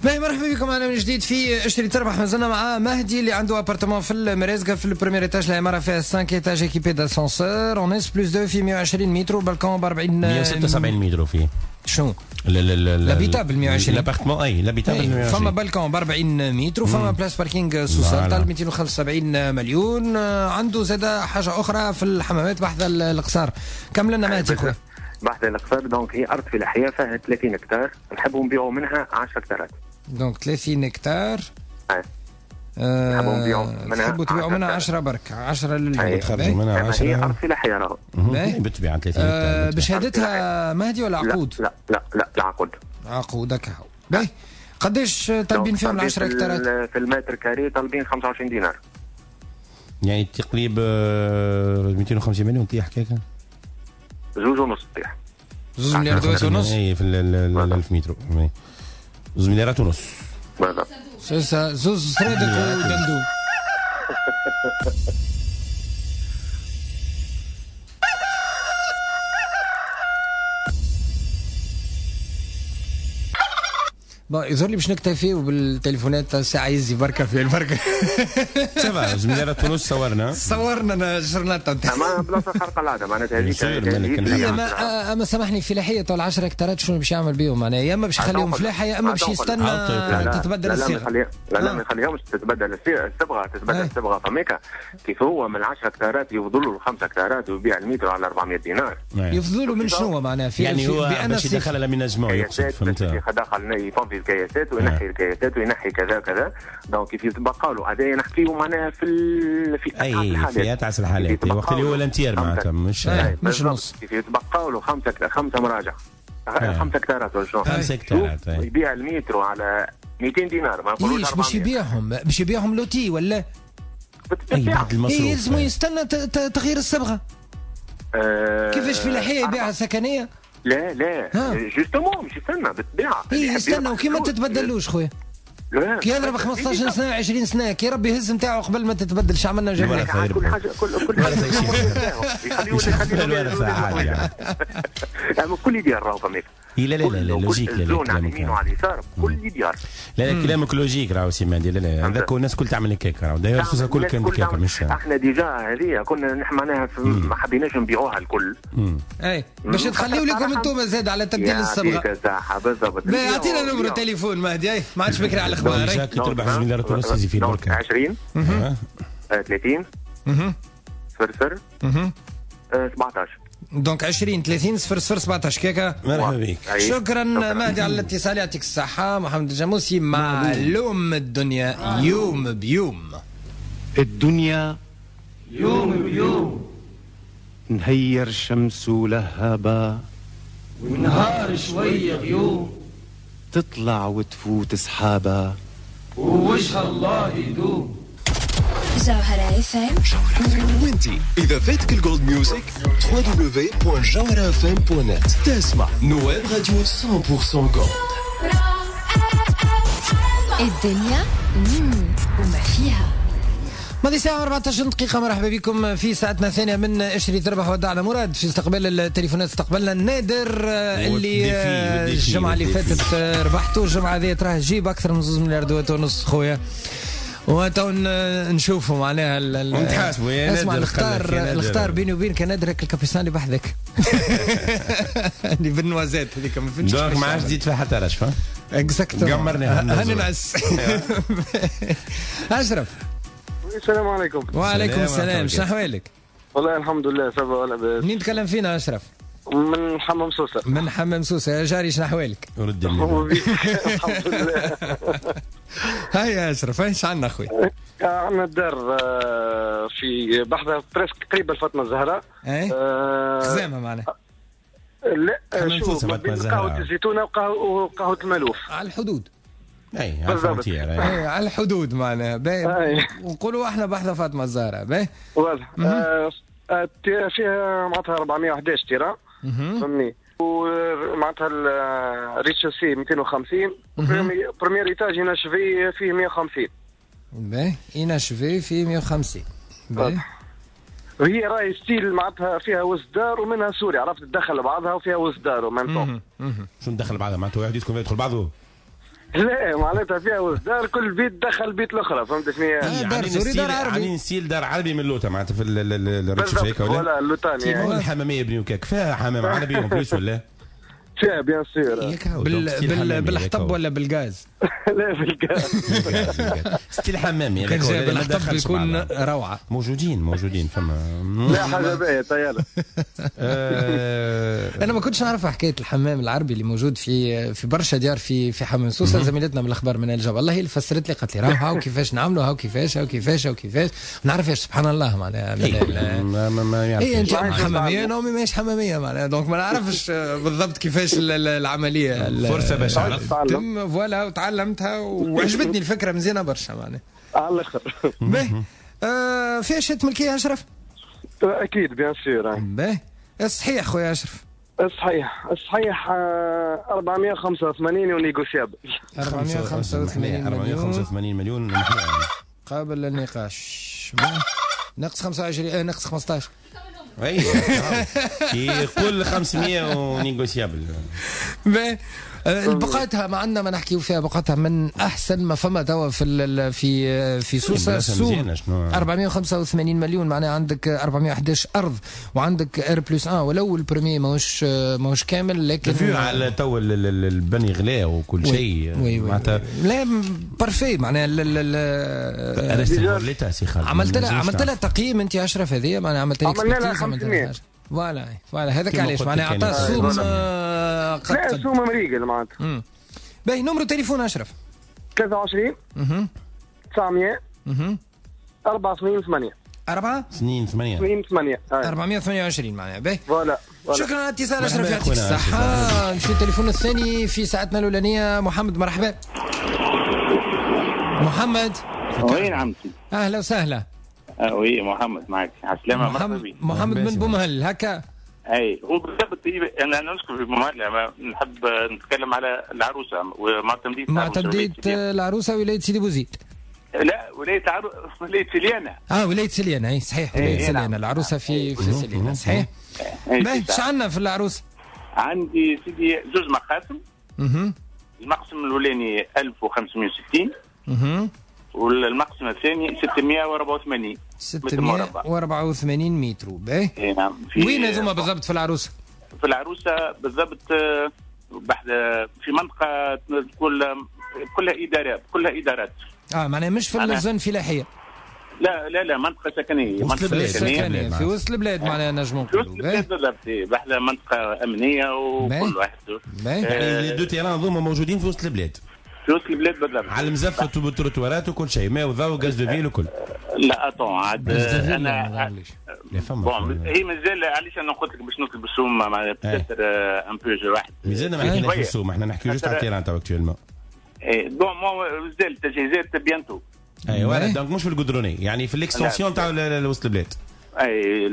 باهي مرحبا بكم معنا من جديد في اشتري تربح. مازلنا مع مهدي اللي عنده appartement في المرازقه في ال premier étage، العمارة فيها خمسة étages équipés d'ascenseur en S plus اثنين في مية وعشرين متر، بالكون ب أربعين مية وستة وسبعين متر فيه. شنو؟ l'habitable مية وعشرين l'appartement، اي l'habitable. فما بالكون ب أربعين متر وفما place parking sous-sol طالب مئتين وخمسة وسبعين مليون. عنده زاد حاجة اخرى في الحمامات بحذا القصار. كمل لنا مهدي خويا. بحذا القصار donc هي ارض فلاحية فيها ثلاثين هكتار، نحبوا نبيعوا منها عشرة هكتارات. donc ثلاثين هكتار. اي نحبوا نبيعوا منها، تحبوا تبيعوا منها عشرة برك، عشرة للبيع. تخرجوا منها عشرة. هي ارض فلاحية راهو. بالطبيعة ثلاثين هكتار. بشهادتها مهدي ولا عقود؟ لا لا لا لا عقود. عقود هكا. باهي قداش طالبين فيهم ال عشرة هكتارات؟ في ال mètre carré طالبين خمسة وعشرين دينار. يعني تقريب مئتين وخمسين مليون تطيح هكاك؟ زوج ونص تطيح. زوج مليارات ونص؟ اي في ال ألف متر. زوج مليارات ونص. بالضبط. زوز سرادك ودندو. bon يظهر لي باش نكتفيو بالتليفونات ساعة يزي بركة في البركة. ça va زوج مليارات ونص صورنا. صورنا جرناطة. اما بلاصة خارقة العادة معناتها هذيك. اما اما سامحني فلاحية تو عشرة هكتارات شنو باش يعمل بيهم معناها؟ يا اما باش يخليهم فلاحة يا اما باش يستنى تتبدل الصيغة. لا لا ما يخليهمش تتبدل الصبغة، تتبدل الصبغة فميكا كيف هو من عشرة هكتارات يفضلوا الخمسة هكتارات ويبيع المتر على أربعمية دينار. يفضلوا من شنو معناها؟ في يعني هو باش يدخل l'aménagement يقصد، فهمت؟ دخل يفضي الكياسات وينحي الكياسات وينحي كذا كذا. donc كيف يتبقى له هذا نحكيه معناها في ال... في اي الحالات، في اتعس الحالات وقت اللي هو ال un tiers معناتها مش مش نص. كيف يتبقى له خمسة خمسة مراجع خمسة هكتارات ولا شنو؟ خمسة هكتارات يبيع المترو على مئتين دينار ما نقولوش أربعمية. باش يبيعهم باش يبيعهم lotis ولا؟ اي بعد المصروف يلزمو يستنى تغيير الصبغه. أه كيفاش فلاحية يبيعها سكنية؟ لا لا justement مش يستنى بالطبيعة. اي يستنى وكي ما تتبدلوش خويا. كي يضرب خمسطاش سنة عشرين سنة كي ربي يهز نتاعو قبل ما تتبدل شو عملنا جميع كل حاجة كل كل حاجة يخليو يخليو كل ديار راهو فماك. لا لا لا لا logique، لا لا على اليمين وعلى اليسار كل ديار. لا لا كلامك logique راهو سي مهدي. لا لا هذاك الناس الكل تعمل هكاك راهو داير سوسة الكل كانت هكاك. مش احنا déjà هذه كنا نحن معناها ما حبيناش نبيعوها الكل. اي باش تخليو لكم انتم زاد على تبديل الصبغه. صح بالضبط. اعطينا numéro تليفون مهدي. اي ما عادش بكري على الاخبار. كي تربح زوج مليار ونص يجي في البركة. عشرين ثلاثين صفر صفر سبعطاش. donc عشرين ثلاثين صفر صفر سبعطاش كيكا. مرحبا بك. شكرا مهدي على الاتصال، يعطيك الصحة. محمد الجاموسي معلوم الدنيا يوم بيوم. الدنيا يوم بيوم نهير الشمس ولهبة ونهار شوية غيوم تطلع وتفوت سحابة ووجه الله يدوم. جوهرة اف ام. وانتي اذا فاتك ال gold music دبليو دبليو دبليو دوت جوهرة اف ام دوت نت تسمع نواب راديو مية بالمية gold. الدنيا وما فيها. ماضي ساعة أربعطاش دقيقة. مرحبا بكم في ساعتنا الثانية من اشري تربح. ودعنا مراد في استقبال التليفونات. استقبلنا النادر اللي الجمعة اللي فاتت ربحته، الجمعة هذه تراه جيب أكثر من زوج مليار ونص خويا. وتو نشوفوا معناها ونتحاسبوا يا نادر. اسمع الاختار الاختار بيني وبينك نادر ال capucin اللي بحذاك اللي بال noisette هذيك ما فهمتش. donc ما عادش تزيد فيها حتى رشفه. exactement قمرني هاني نعس. اشرف السلام عليكم. وعليكم السلام، شنو احوالك؟ والله الحمد لله ça va ولا باس. منين تكلم فينا اشرف؟ من حمام سوسة. من حمام سوسة يا جاري، شنو احوالك؟ ورد الحمد لله. هاي يا اشرف، ايش عندنا اخوي؟ عندنا الدار في بحذا presque قريبه لفاطمة الزهراء. اي خزامة معناها. لا شوف بين قهوة الزيتونه وقهوة المالوف. على الحدود. اي على ال frontière. اي على الحدود معناها. ونقولوا احنا بحذا فاطمة الزهراء. باهي واضح. فيها معناتها أربعمية وأحد عشر terrain فهمني، ومعناتها ال rez-de-chaussée مئتين وخمسين، premier étage inachevé فيه مية وخمسين. باهي inachevé فيه مية وخمسين. باهي وهي راهي style معناتها فيها وسط دار ومنها سوري، عرفت تدخل بعضها وفيها وسط دار و même temps. شو ندخل بعضها معناتها واحد يدخل يدخل بعضه؟ لا معناتها فيها وسط دار، كل بيت دخل بيت الاخرى، فهمت شنو هي؟ دار سوري دار عربي، يعني style دار عربي من لوطه معناتها في ال rez-de-chaussée ولا؟ ولا اللوطاني يعني الحماميه بنيو كاك فيها حمام عربي en plus ولا؟ فيها bien sûr. بال بالحطب ولا بالغاز؟ لا بالغاز. style حمامي كان جاي بالحطب يكون روعه. موجودين موجودين فما لا حاجة باهيه طيارة. انا ما كنتش نعرف حكاية الحمام العربي اللي موجود في في برشا ديار في في حمام سوسة. زميلتنا من الاخبار من الجبل الله هي اللي فسرت لي، قالت لي راهو هاو كيفاش نعملوا، هاو كيفاش هاو كيفاش هاو كيفاش. ما نعرفش سبحان الله معناها. ما ما اي انت حماميه، انا امي ماهيش حماميه معناها، donc ما نعرفش بالضبط كيفاش العملية. فرصة باش تم voilà وتعلمتها وعجبتني الفكرة مزيانه برشا معناها على الاخر. باهي آه فيها شهادة ملكية اشرف؟ اكيد bien sûr. باهي الصحيح خويا اشرف؟ الصحيح الصحيح أربعمية وخمسة وثمانين و négociable. أربعمية وخمسة وثمانين أربعمية وخمسة وثمانين مليون قابل للنقاش. ناقص خمسة وعشرين ناقص خمسطاش. اي يقول خمسمية و négociable. باهي بقعتها ما عندنا ما نحكيو فيها، بقعتها من احسن ما فما توا في في في سوسة. السوم أربعمية وخمسة وثمانين مليون معناها عندك أربعمية وأحد عشر ارض وعندك R plus واحد، ولو ال premier ماهوش ماهوش كامل لكن vu على تو البني غلا وكل شيء معناتها لا parfait معناها. عملت لها عملت لها تقييم انت اشرف هذه معناها عملت لها expertise عملت لها voilà voilà هذاك علاش معناها عطاه السوم. لا السوم مريقل معناتها. باهي numéro تليفون اشرف؟ ثلاثة وعشرين تسعمية أربعة اثنين ثمانية أربعة اثنين ثمانية اثنين ثمانية أربعمية وثمانية وعشرين معناها. باهي voilà. شكرا على الاتصال اشرف، يعطيك الصحة. نمشي التليفون الثاني في ساعتنا الأولانية. محمد مرحبا. محمد وين عمتي؟ أهلا وسهلا. oui محمد معك، عسلامة. مرحبا بك محمد من بومهل هكا. اي هو بالضبط انا نسكن في بومهل، نحب نتكلم على العروسة ومعتمديه معتمديه العروسة ولاية سيدي بوزيد. لا ولاية عرو... ولاية سليانه. اه ولاية سليانه، اي صحيح ولاية إيه سليانه، العروسة في في سليانه صحيح. باهي اش عندنا في العروسة؟ عندي سيدي زوج مقاسم. اها المقسم الاولاني ألف وخمسمية وستين. اها والمقسم الثاني ستمية وأربعة وثمانين. ستمية وأربعة وثمانين متر. باهي اي نعم. وين هذوما بالضبط في العروسة؟ في العروسة بالضبط بحد في منطقة تقول كلها ادارات، كلها ادارات. اه معناها مش في ال zone الفلاحية. لا لا لا منطقة سكنية، منطقة سكنية في وسط البلاد معناها نجمو نقولوا. في وسط البلاد بالضبط، بحذا منطقة امنية وكل واحد. يعني les deux terrains هذوما موجودين في وسط البلاد. في وسط البلاد بالضبط، على المزفت وبالتروتوارات وكل شيء، ماء وضوء و gaz de ville وكل. لا attends عاد انا bon هي مازال علاش انا قلت لك باش نطلب السوم مع peut-être un peu واحد. مازلنا ما حكيناش في السوم، احنا نحكيو juste على ال terrain تو actuellement. اي bon مازال التجهيزات bientôt. ايوا donc مش في ال goudronné، يعني في ال extension تاع وسط البلاد. اي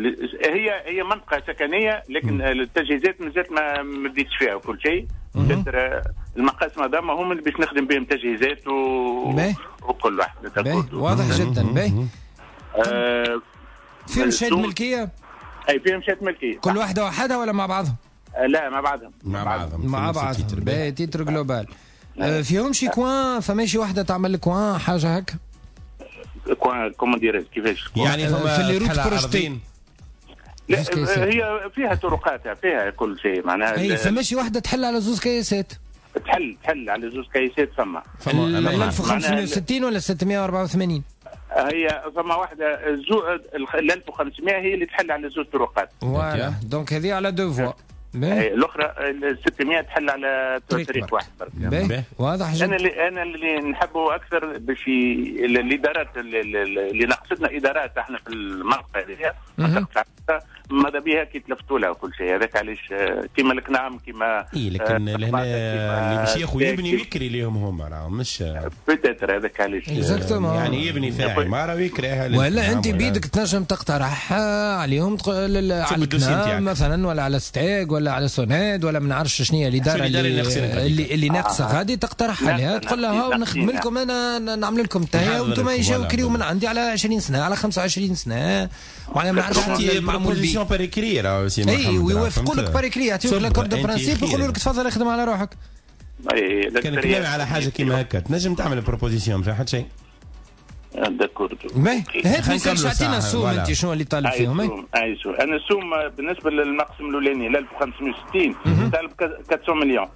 هي هي منطقة سكنية لكن التجهيزات مازالت ما بديتش فيها وكل شيء. المقاسم هذا هم اللي باش نخدم بهم تجهيزات و... وكل واحد. واضح جدا. باهي آه فيهم شهادة ملكية؟ اي فيهم شهادة ملكية. كل واحدة وحدها ولا مع بعضهم؟ آه لا مع بعضهم. مع بعضهم مع بعضهم. باهي titre global. آه فيهم شي coin، فماشي واحدة تعمل coin حاجة هكا؟ coin comment dirais-je كيفاش؟ يعني فما في les routes projetées. لا هي فيها طرقاتها فيها كل شيء معناها. اي فماشي واحدة تحل على زوز كياسات. تحل تحل على زوز كياسات فما. فما ألف وخمسمية وستين ولا ستمية وأربعة وثمانين؟ هي فما واحدة زو ال ألف وخمسمية هي اللي تحل على زوز طرقات. voilà donc هذه على deux voies. الاخرى ال ستمية تحل على طريق واحد برك. واضح جدا. انا اللي انا اللي نحبه اكثر باش الادارات اللي ناقصتنا ادارات احنا في المنطقة هذه منطقة ماذا بها كي تلفتوا لها وكل شيء، هذاك علاش كيما الكنام كيما اي لكن لهنا اللي باش ياخذ يبني ويكري ليهم هما راه مش peut-être هذاك علاش يعني يبني فيها عمارة ويكريها. ولا انت بيدك تنجم تقترح عليهم على الكنام مثلا ولا على ستاج ولا على سوناد ولا ما نعرفش شنو هي الادارة اللي اللي, اللي ناقصه غادي تقترح عليها تقول لها نخدم لكم انا نعمل لكم تاهي وانتم يجيو كريو من عندي على عشرين سنة على خمسة وعشرين سنة معناها ما نعرفش المعمول به par écrit راه سي محمد. اي ويوافقوا لك par écrit، يعطيوك l'accord de principe يقولوا لك تفضل اخدم على روحك. اي كان كلامي على حاجة كيما هكا تنجم تعمل proposition ما فيها حتى شيء. d'accord. باهي هات ما عطينا السوم انت شنو اللي طالب فيهم؟ اي سوم انا السوم بالنسبة للمقسم الاولاني ألف وخمسمية وستين طالب أربعمية مليون.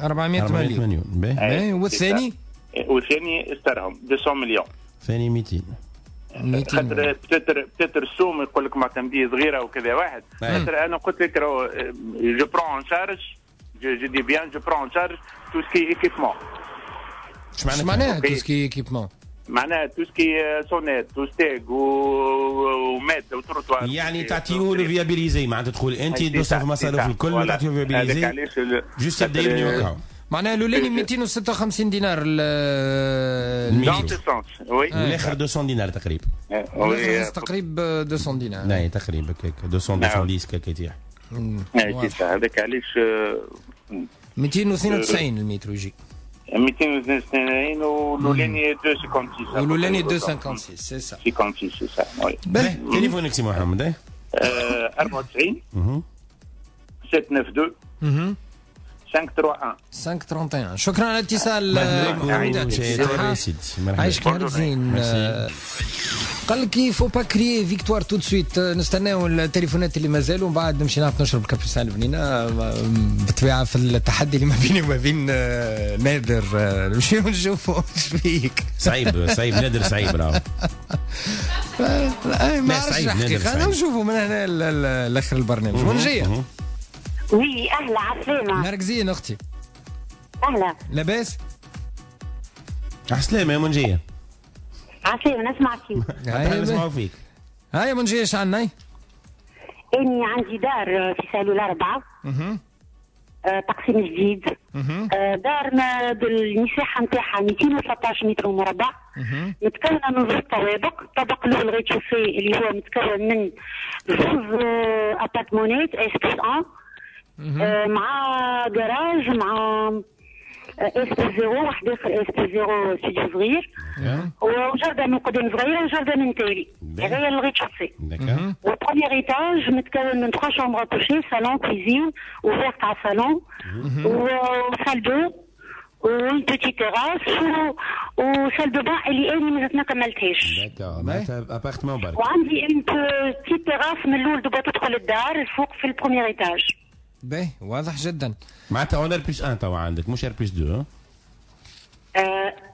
أربعمية مليون. باهي والثاني؟ والثاني استرهم مئتين مليون. ثاني مئتين. خاطر peut-être peut-être السوم يقول لك معتمديه صغيرة وكذا واحد، خاطر انا قلت لك راهو je prends en charge je dis bien je prends en charge tout ce qui est équipement. اش معناها tout ce qui est équipement؟ معناها tout ce qui est SONEDE و STEG وماد وتروتوار. يعني تعطيه له viabilisé، معناتها تقول انت تصرف مصاريف الكل وتعطيه viabilisé juste يبدا يبني وكاو. معناها الاولاني مئتين وستة وخمسين دينار المتر والاخر مئتين دينار تقريبا. الاخر تقريبا مئتين دينار. لا تقريبا هكاك مئتين مئتين وعشرة هكاك يطيح. اي هذاك علاش مئتين واثنين وتسعين المتر يجي. مئتين واثنين وتسعين والاولاني مئتين وخمسة وستين. والاولاني مئتين وخمسة وستين c'est ça. خمسة وستين c'est ça oui. باهي تليفونك سي محمد؟ أربعة وتسعين سبعة تسعة اثنين خمسة ثلاثة واحد خمسة ثلاثة واحد. شكرا على الاتصال. عايشك نهار زين. قال لك faut pas crier victoire tout de suite. نستناو التليفونات اللي مازالوا ومن بعد نمشي نعرف نشرب كابوسان البنينه بالطبيعة في التحدي اللي ما بيني وما بين نادر. نمشيو نشوفوا اش فيك. صعيب صعيب نادر صعيب راهو. ما عرفتش الحقيقة نشوفوا من هنا لاخر البرنامج. منجيه. oui اهلا عسلامة. نهارك زين اختي. اهلا. لاباس؟ عسلامة يا منجية. عسلامة نسمع فيك. نسمعوا فيك. هاي منجية اش عندنا؟ اني عندي دار في سالول أربعة. اها. تقسيم جديد. دارنا بالمساحه نتاعها مئتين وثلاثة عشر متر مربع، متكونه من زوج طوابق. الطابق الاول rez-de-chaussée اللي هو متكون من زوج appartement ات S plus واحد مع جراج مع S plus zéro، واحد اخر S plus zéro studio صغير، وجردة من قدام صغيرة وجردة من تالي. هذا هي ال rez-de-chaussée. وال premier étage متكون من ثلاثة chambres à coucher، salon، cuisine ouverte على الصالون، و salle d'eau و une petite terrasse و salle de bain اللي انا مازلت ما كملتهاش. d'accord، معناتها appartement برك. وعندي une petite terrasse من الاول دوبا تدخل الدار الفوق في ال premier étage. باهي، واضح جدا. معناتها en R plus واحد توا عندك، مش R plus اثنين.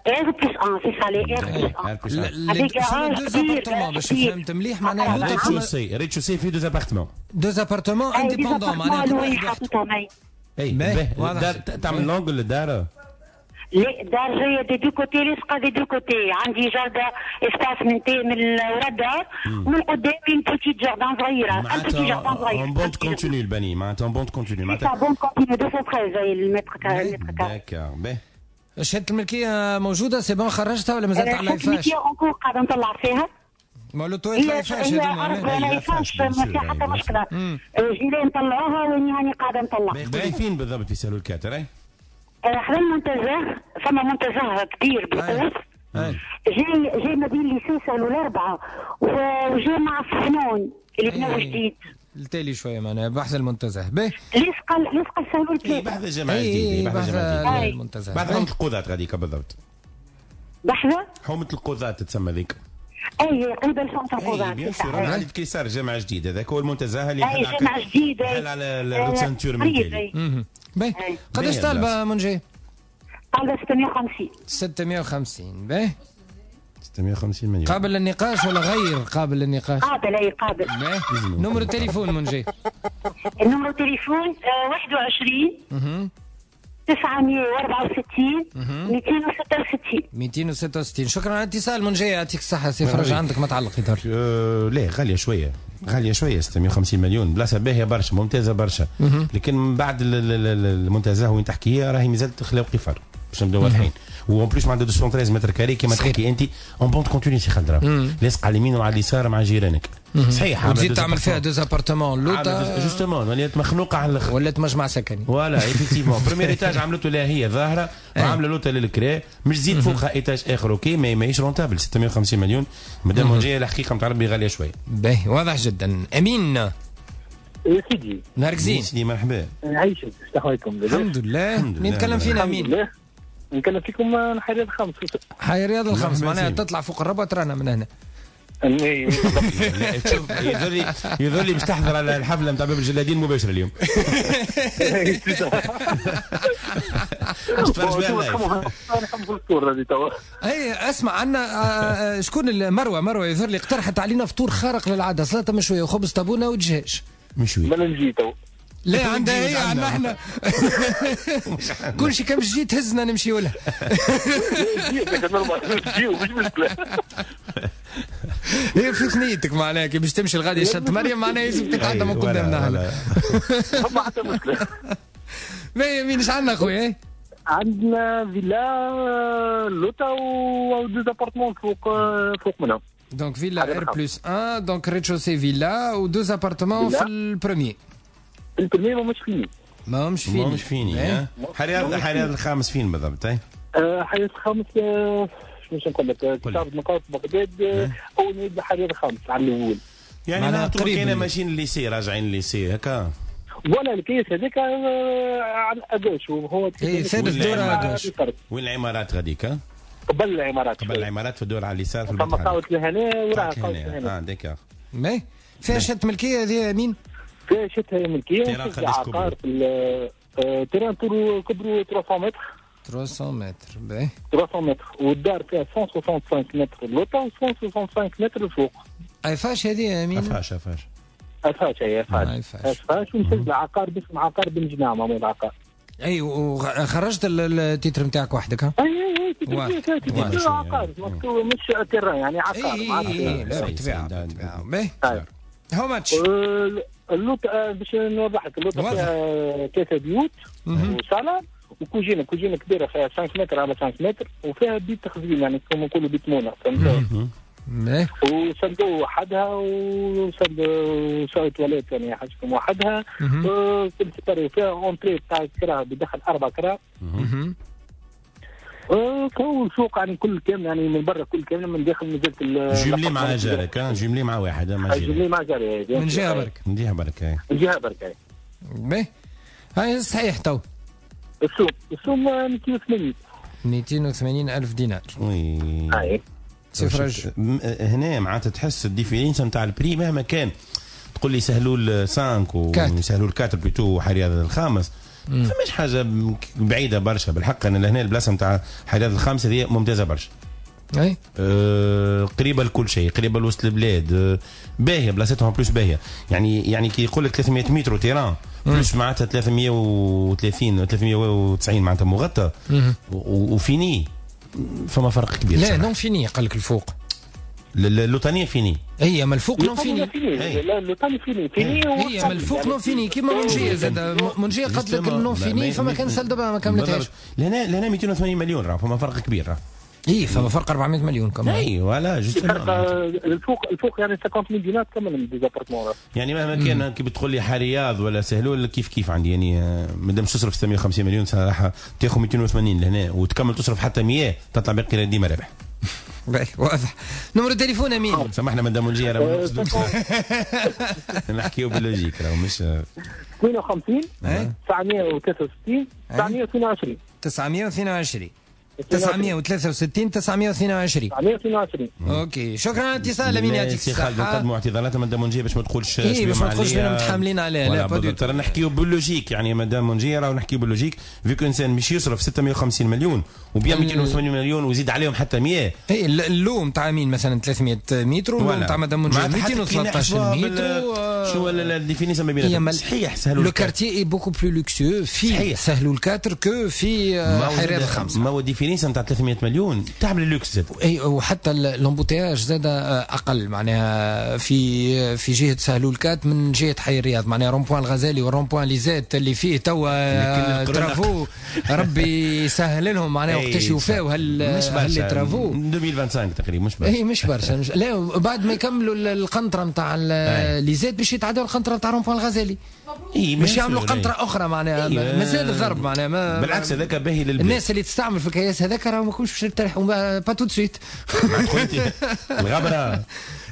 R plus واحد، c'est ça، les R plus واحد. فما deux appartements باش فهمت مليح، معناها rez-de-chaussée rez-de-chaussée فيه deux appartements deux appartements indépendants، معناها كل واحد وحده. اي باهي، تعمل l'angle للدار؟ لا، دار جاية des deux côtés، لاصقه des deux côtés. عندي jardin espace من تي من ورا الدار ومن قدام une petite jardin صغيرة، un petit jardin صغير. en bande continue البني، معناتها en bande continue، معناتها bande continue مئتين وثلاثة عشر المتر carré. d'accord، باهي. شهادة الملكية موجودة c'est bon، خرجتها ولا مازالت على l'Eiffage؟ الملكية encore قاعدة نطلع فيها. ما لوطويت l'Eiffage هذوما، l'Eiffage ما فيها حتى مشكلة، جيران نطلعوها واني هاني قاعدة نطلع. فين بالضبط في سهلول quatre؟ حدا المنتزه، فما منتزه كبير بالقوس جاي جاي ما بين lycée سهلول الأربعة وجاي مع الفنون اللي بناو جديد. التالي شوية معناها بحث المنتزه. باهي، لصق لصق سهلول ثلاثة. بحث الجامعة الجديدة، بحث الجامعة الجديدة المنتزه، بحث حومة القضاة غاديك بالضبط. بحث حومة القضاة تتسمى ذيك. اي قريبه لحومة القضاة. bien sûr، انا عندي كيسار جامعة جديدة، هذاك هو المنتزه اللي اي جامعة جديدة حل على ال route ceinture من تالي. باهي، قداش طالبة منجي؟ طالبة ستمية وخمسين. ستمية وخمسين، باهي. ستمية وخمسين مليون. قابل للنقاش ولا غير قابل للنقاش؟ قابل، اي قابل. باهي، numéro التليفون منجي؟ ال numéro التليفون واحد وعشرين تسعمية وأربعة وستين مئتين وستة وستين. مئتين وستة وستين. شكرا على الاتصال منجي، يعطيك الصحة. سي فرج عندك ما تعلق يظهر. أه لا، غالية شوية، غالية شوية ستمية وخمسين مليون، بلاصة باهية برشا، ممتازة برشا، لكن من بعد المنتزه وين تحكي راهي مازالت خلاو قفر باش نبداو واضحين. و en plus مع مئتين وثلاثة عشر mètres carrés كيما تحكي انت en bande continue سي خالد، لاصق على اليمين وعلى اليسار مع جيرانك. صحيح، وتزيد تعمل فيها deux appartements لوطا justement، ولات مخنوقه على الاخر، ولات مجمع سكني. voilà effectivement premier étage عملته لها هي ظاهره، وعامله لوطا للكرا، مش تزيد فوقها étage اخر. OK، ما ماهيش rentable ستمية وخمسين مليون. مادام منجيه الحقيقة نتاع ربي غالية شوية. باهي، واضح جدا. امين يا سيدي، نهارك زين سيدي، مرحبا. عايشك، اش احوالكم؟ الحمد لله. مين نتكلم فينا امين؟ نتكلم فيكم من حي رياض الخامس. حي رياض الخامس، معناها تطلع فوق الربع ترانا من هنا. شوف، يظل يظل لي باش تحضر على الحفلة نتاع باب الجلادين مباشرة اليوم. اي اسمع، عندنا شكون مروه، مروه يظهر لي اقترحت علينا فطور خارق للعادة، سلطة مشوية وخبز طابونه ودجاج مشوي. ما نجي تو. لا عندها هي، عندنا احنا كل شيء كم جيت تهزنا نمشيو لها. مش مشكلة. هي في ثنيتك معناها كي باش تمشي لغادي شط مريم معناها لازم تتعدى من قدامنا هنا. ما حتى مشكلة. باهي مين اش عندنا خويا؟ عندنا فيلا لوطا و deux appartements فوق فوق منها. donc فيلا R plus واحد، donc rez-de-chaussée فيلا و deux appartements في ال premier. ال premier ماهمش finis. ماهمش finis. ماهمش finis. حي رياض حي رياض الخامس فين بالضبط؟ حي رياض الخامس شنو باش نقول لك؟ تعرف نقاط بغداد اول ما يبدا حي رياض الخامس على الاول. يعني نهبطوا كاين ماشيين لل lycée، راجعين لل lycée هكا. ولا الكيس هذاك على à gauche وهو اي ثالث دور à gauche. وين العمارات غاديك؟ قبل العمارات. قبل العمارات في الدور على اليسار في البطحه. فما قهوة الهنا وراها قهوة الهنا. اه d'accord. mais فيها شهادة ملكية هذه مين؟ فيها شهادة ملكية. terrain قداش كبروا؟ terrain كبروا ثلاثمية متر. ثلاثمية متر، باهي. ثلاثمية متر والدار فيها مية وخمسة وستين متر اللوطه و مية وخمسة وستين متر الفوق. Eiffage هذه يا مين؟ Eiffage Eiffage. Eiffage هي Eiffage. Eiffage ومسجل عقار باسم عقار بن جناع معمول العقار. اي وخرجت ال titre نتاعك وحدك ها؟ اي اي اي titre عقار مش terrain يعني عقار. اي اي لا بالطبيعة بالطبيعة. باهي. how much؟ اللوطه باش نوضح لك، اللوطه فيها ثلاثة بيوت وصاله وكوجينه، كوجينه كبيرة فيها خمسة متر على خمسة متر، وفيها بيت تخزين يعني كما نقولوا بيت مونه، فهمت؟ وصندوق وحدها وصندوق تواليت يعني حاجتكم وحدها، كل séparé، فيها entrée تاع الكرا بيدخل اربع كرا. كون سوق يعني كل كامل يعني من برا كل كامل، من داخل مازالت jumelé مع جارك، jumelé مع واحد، مع jumelé مع جاري من جهة برك، من جهة برك، من جهة برك. باهي هاي صحيح. تو السوم السوم مئتين وثمانين مئتين وثمانين ألف دينار. oui هاي سفرج هنا معناتها تحس ال différence نتاع ال prix مهما كان، تقول لي سهلول خمسة وسهلول أربعة plutôt وحي الرياض الخامس، فماش حاجة بعيدة برشا بالحق. انا لهنا البلاصة نتاع حي الرياض الخامس هذه ممتازة برشا. اي أه قريبه لكل شيء، قريبه لوسط البلاد، أه باهيه بلاصتهم plus باهيه. يعني يعني كي يقول لك ثلاثمية متر terrain plus معناتها ثلاثمية وثلاثين ثلاثمية وتسعين معناتها مغطى و fini، فما فرق كبير. لا non fini قال لك الفوق، اللوطانيه fini. هي من الفوق non fini، لا اللوطاني fini fini، هي من الفوق non fini كيما منجيه زاد، منجيه قالت لك ال non fini فما كان salle de bain ما كملتهاش. لهنا لهنا مئتين وثمانين مليون راه فما فرق كبير راه. اي فما فرق أربعمية مليون كمان. اي voilà juste الفوق الفوق يعني خمسين مليون دينار تكمل des appartements. يعني مهما كان كي بتقول لي حي رياض ولا سهلول كيف كيف عندي، يعني مادام تصرف ستمية وخمسين مليون صراحة تاخذ مئتين وثمانين لهنا وتكمل تصرف حتى مية تطلع باقي ديما رابح. باهي واضح. numéro التليفون امين. سامحنا مدام منجيه راه نحكيو بال logique راه مش اثنين وخمسين تسعمية وثلاثة وستين تسعمية واثنين وعشرين تسعمية واثنين وعشرين تسعمية وثلاثة وستين تسعمية واثنين وعشرين تسعمية واثنين وعشرين. OK شكرا على الاتصال امين، يعطيك الصحة. سي خالد نقدموا اعتذارات مدام منجيه باش ما تقولش اي باش ما تقولش بنا متحاملين عليها. لا با ترى نحكيو بال logique يعني مدام منجيه راهو نحكيو بال logique، vu que انسان مش يصرف ستمية وخمسين مليون وبيع مئتين وثمانين مليون ويزيد عليهم حتى مية. اي اللوم تاع امين مثلا ثلاثمية متر واللوم تاع مدام منجيه مئتين وثلاثطاش متر. شو ال différence ما بيناتهم؟ صحيح سهلول le quartier est beaucoup plus luxueux في سهلول quatre que في حي الرياض الخمسة. ما هو différence نتاع ثلاثمية مليون تعمل اللوكس زاد. اي وحتى l'embouteillage زاد اقل معناها في في جهة سهلول quatre من جهة حي الرياض، معناها rond-point الغزالي وال rond-point ليزات اللي فيه توا travaux ربي يسهل لهم معناها وقتاش يوفاو هال هال travaux ألفين وخمسة وعشرين تقريبا. مش برشا. اي مش برشا مش... لا بعد ما يكملوا القنطرة نتاع ليزات باش يتعدوا القنطرة نتاع rond-point الغزالي، باش يعملوا قنطرة اخرى معناها مازال الضرب معناها ما... بالعكس هذاك باهي للبلاد. الناس اللي تستعمل في الكياس هذاك راه ما كنتش باش يرتاحوا pas tout de suite. الغبرة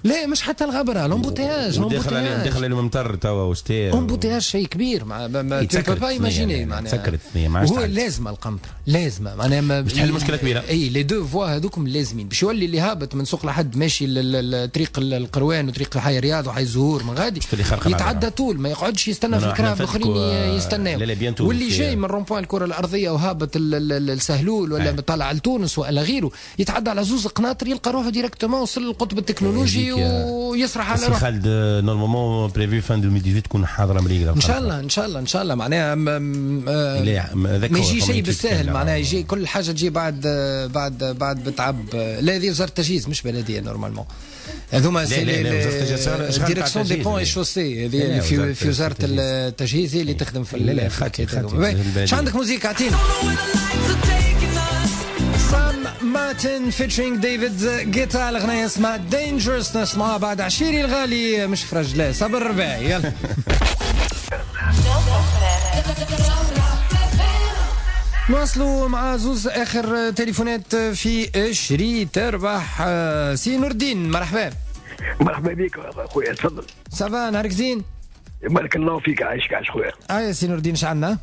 لا مش حتى الغبرة، l'embouteillage داخل داخل الممطر توا وشتاء embouteillage شيء كبير مع tu peux pas imaginer معناها تسكرت الثنية ما عادش هو لازمه القنطرة لازمه معناها باش تحل مشكلة كبيرة. اي les deux voies هذوكم لازمين باش يولي اللي هابط من سوق لحد ماشي لطريق القروان وطريق حي الرياض وحي الزهور من غادي يتعدى طول ما يقعدش يستنى في الكراب الاخرين يستناو، واللي جاي من rond-point الكره الارضية وهابط السهلول ولا طالع لتونس ولا غيره يتعدى على زوز قناطر يلقى روحه directement وصل للقطب التكنولوجي ويسرح على روحه. سي خالد normalement prévu fin ألفين وثمنطاش تكون حاضره مريقله ان شاء الله ان شاء الله ان شاء الله معناها ما يجي شيء بالساهل معناها يجي كل حاجة تجي بعد بعد بعد بتعب. لا هذه وزارة التجهيز مش بلديه normalement، هذوما c'est direction des ponts et chaussées هذه في في وزارة التجهيز اللي تخدم في. لا لا خاطي خاطي. اش عندك musique اعطينا؟ سام مارتن featuring ديفيد جيتا، الاغنية اسمها Dangerous. نسمعها بعد عشيري الغالي مش فرج لا صبر الرباعي. يلا نواصلوا مع زوز اخر تليفونات في شري تربح. سي نور الدين مرحبا. مرحبا بك خويا تفضل. ça va نهارك زين؟ بارك الله فيك عايشك عايش خويا. اه سي نور الدين اش عندنا؟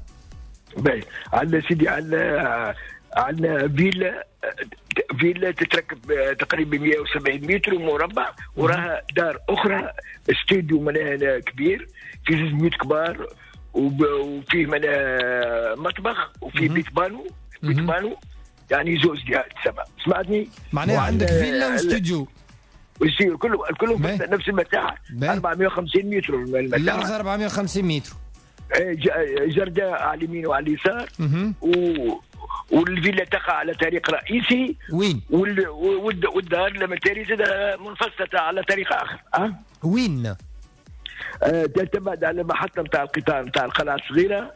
باهي عندنا سيدي عندنا عندنا فيلا فيلا تتركب تقريبا مئة وسبعين متر مربع، وراها دار اخرى استوديو معناها كبير في زوج بيوت كبار وفيه معناها مطبخ وفيه بيت بانو بيت بانو يعني زوج ديال سبعة. سمعتني؟ معناها عندك فيلا واستوديو واستوديو كله كله نفس المساحة أربعمئة وخمسين متر المساحة. الارض أربعمئة وخمسين متر. جرداء على اليمين وعلى اليسار و والفيلا تقع على طريق رئيسي. وين؟ وال... والدار لما تاري زاد منفصلة على طريق اخر. أه؟ وين؟ تبعد على المحطة نتاع القطار نتاع القلعة الصغيرة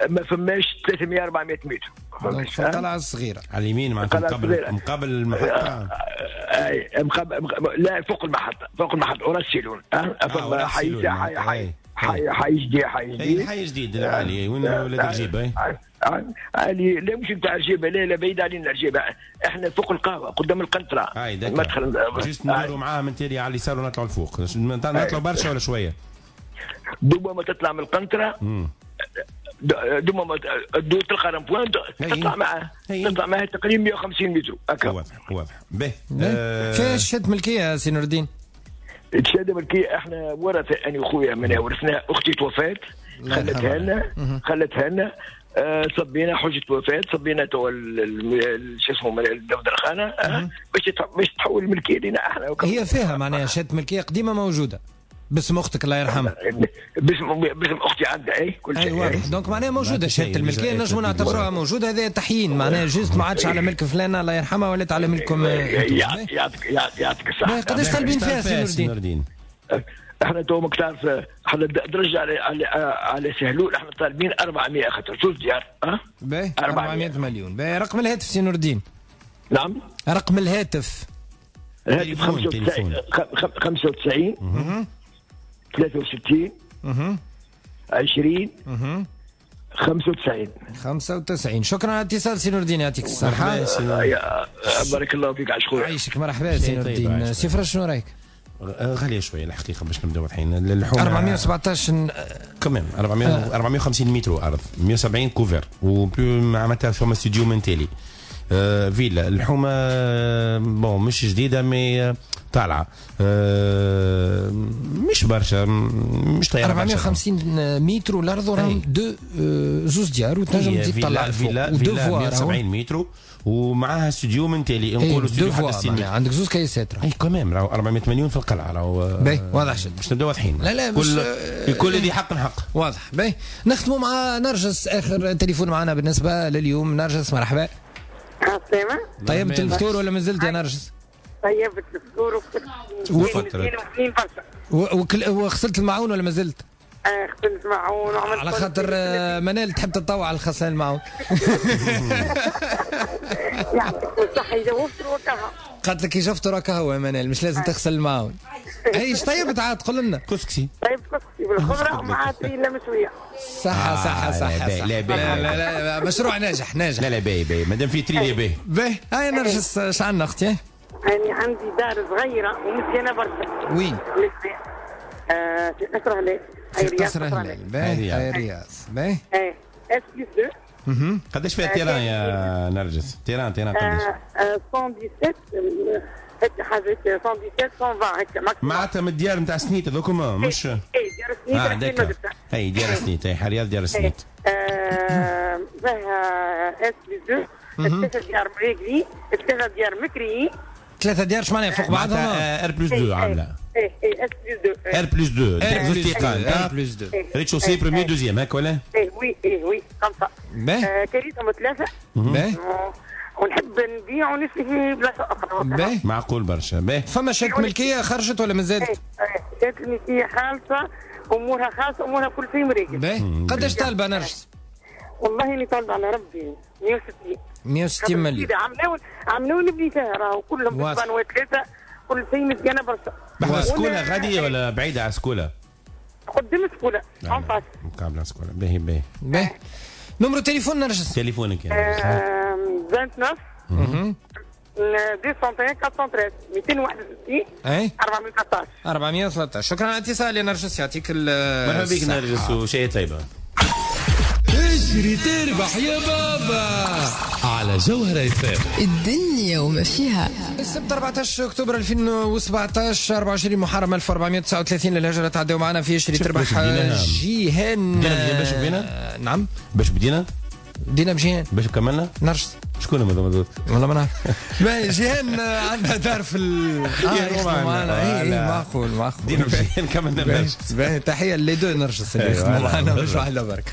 ما فماش ثلاثمية أربعمية متر. في القلعة الصغيرة على اليمين معناتها مقابل مقابل المحطة. اي مقابل، لا فوق المحطة، فوق المحطة ورا السيلون. اه حي حي حي حي حي جديد، حي جديد، حي جديد العالي وين ولاد الجيبه. عالي لا مش نتاع الجيبه، لا لا بعيد علينا الجيبه، احنا فوق القهوة قدام القنطرة. اي مدخل juste ندوروا معاها من تالي على اليسار ونطلعوا الفوق. نطلعوا برشا ولا شوية؟ دوما ما تطلع من القنطرة، دوما ما تلقى rond-point تطلع معاه، تطلع معاه تقريبا مية وخمسين متر هكا. واضح واضح. باهي فاش شهادة ملكية سي نور الدين؟ شهادة ملكية احنا ورثه انا وخويا من ورثنا، اختي توفات خلتها لنا، خلتها لنا آه صبينا حجه وفاه، صبينا تو شو اسمه الدفتر آه باش باش تحول الملكية لنا احنا. هي فيها معناها شهادة ملكية قديمة موجودة باسم اختك الله يرحمها. باسم باسم اختي عندها اي كل شيء. اي واضح، donc معناها موجودة شهادة الملكية نجموا نعتبروها موجودة. هذا تحيين معناها juste ما عادش على ملك فلانه الله يرحمها ولات على ملككم. يعطيك يعطيك الصحة. قداش طالبين فيها سي نور الدين؟ احنا تو ماك تعرف احنا درجه على على على سهلول، احنا طالبين أربعمية خاطر زوج ديار. اه باهي أربعمية مليون. باهي رقم الهاتف سي نور الدين؟ نعم رقم الهاتف. الهاتف خمسة وتسعين ثلاثة وستين عشرين خمسة وتسعين خمسة وتسعين. شكرا على الاتصال سي نور الدين، يعطيك الصحة. بارك الله فيك عايش خويا. عايشك، مرحبا سي نور الدين. سي فرج شنو رايك؟ غالية شوية الحقيقة باش نبداو واضحين. اللحوم أربعمية وسبعطاش كمان أربعمية وخمسين متر ارض، مية وسبعين couvert و معناتها فما استوديو من تالي. آه فيلا الحومه bon مش جديدة mais طالعه آه مش برشا، مش طيارة. أربعمية وخمسين متر الارض وراهم deux زوز ديار وتنجم تزيد تطلع فيلا فيلا مية وسبعين متر ومعاها استوديو من تالي، نقولوا استوديو حتى ستين متر. عندك زوز كيسات اي quand même راهو أربعمية مليون في القلعة راهو. باهي واضح جدا باش نبداو واضحين. لا لا كل لكل ذي حق حق. واضح. باهي نختموا مع نرجس، اخر تليفون معنا بالنسبة لليوم. نرجس مرحبا. عسلامة. طيبت الفطور ولا مازلت يا نرجس؟ طيبت الفطور وفطرت. وغسلت المعون ولا مازلت؟ اه غسلت المعون وعملت على خاطر منال تحب تتطوع على غسل المعون. يعطيك الصحة يجاوبت وكهو. قالت لك يجفت وكهو يا منال مش لازم تغسل المعون. اي ايش طيبت عاد قول لنا؟ كسكسي. طيب كسكسي بالخضرة ومع تريلا مشوية. صحة صحة صحة. لا لا لا لا مشروع ناجح ناجح. لا لا باهي باهي مادام في تريلا باهي. باهي هاي نرجس اش عندنا اختي؟ أنا عندي دار صغيرة ومزيانة برشا. وين؟ آه في قصر هلال. في قصر هلال. باهي هاي رياض. باهي. ايه S plus اثنين. قداش فيها terrain يا نرجس؟ terrain terrain قداش؟ مية وسبعطاش هكا حاجة مية وسبعطاش مية وعشرين هكا. معناتها من الديار نتاع سنيت هذوكم مش اي ديار سنيت. اه اي ديار سنيت، اي رياض ديار سنيت. فيها S plus اثنين، ثلاثة ديار مريقلي، ثلاثة ديار مكريين. ثلاثة ديار اش معناها فوق بعضهم؟ R plus اثنين عاملة. اي اي S plus اثنين. R plus اثنين زوج تيقان. R plus اثنين rez-de-chaussée premier deuxième هكا ولا؟ اي oui اي oui خمسة. باهي. كريتهم ثلاثة. باهي. ونحب نبيع ونشري في بلاصة أخرى. باهي. معقول برشا. باهي. فما شهادة ملكية خرجت ولا مازالت؟ اي شهادة الملكية خالصة، أمورها خالصة، أمورها كل شيء مريقل. باهي. قداش طالبة نرجس؟ والله إني طالبة على ربي مية وستين. مية وستين مليون. عملوا عملوا نبني فيها راهو كلهم بالبانوات ثلاثة كل شيء مزيانة برشا. بحذا سكولة غادية ولا بعيدة على سكولة؟ قدام سكولة en face. مقابلة سكولة. باهي باهي. باهي. numéro تليفون نرجس؟ تليفونك يا تسعة وعشرين مئتين وواحد وأربعين مئتين وواحد وستين اي أربعمية وثلاثطاش أربعمية وثلاثطاش. شكرا على الاتصال يا نرجس، يعطيك مرحبا بك نرجس وشيء طيبة. اجري تربح يا بابا على جوهرة اف الدنيا وما فيها. السبت أربعطاش أكتوبر ألفين وسبعطاش أربعة وعشرين محرم ألف وأربعمية وتسعة وثلاثين للهجرة. تعدوا معنا في اجري تربح جيهان. بدينا باش بدينا؟ نعم باش بدينا؟ بدينا بجيهان. باش كملنا؟ نرجس. شكون هما والله ما نعرف. جيهان عندها دار في ال اه معنا. اي معقول معقول. بدينا بجيهان كملنا بنرجس. تحية les deux نرجس اللي يخدموا معنا مش واحدة برك.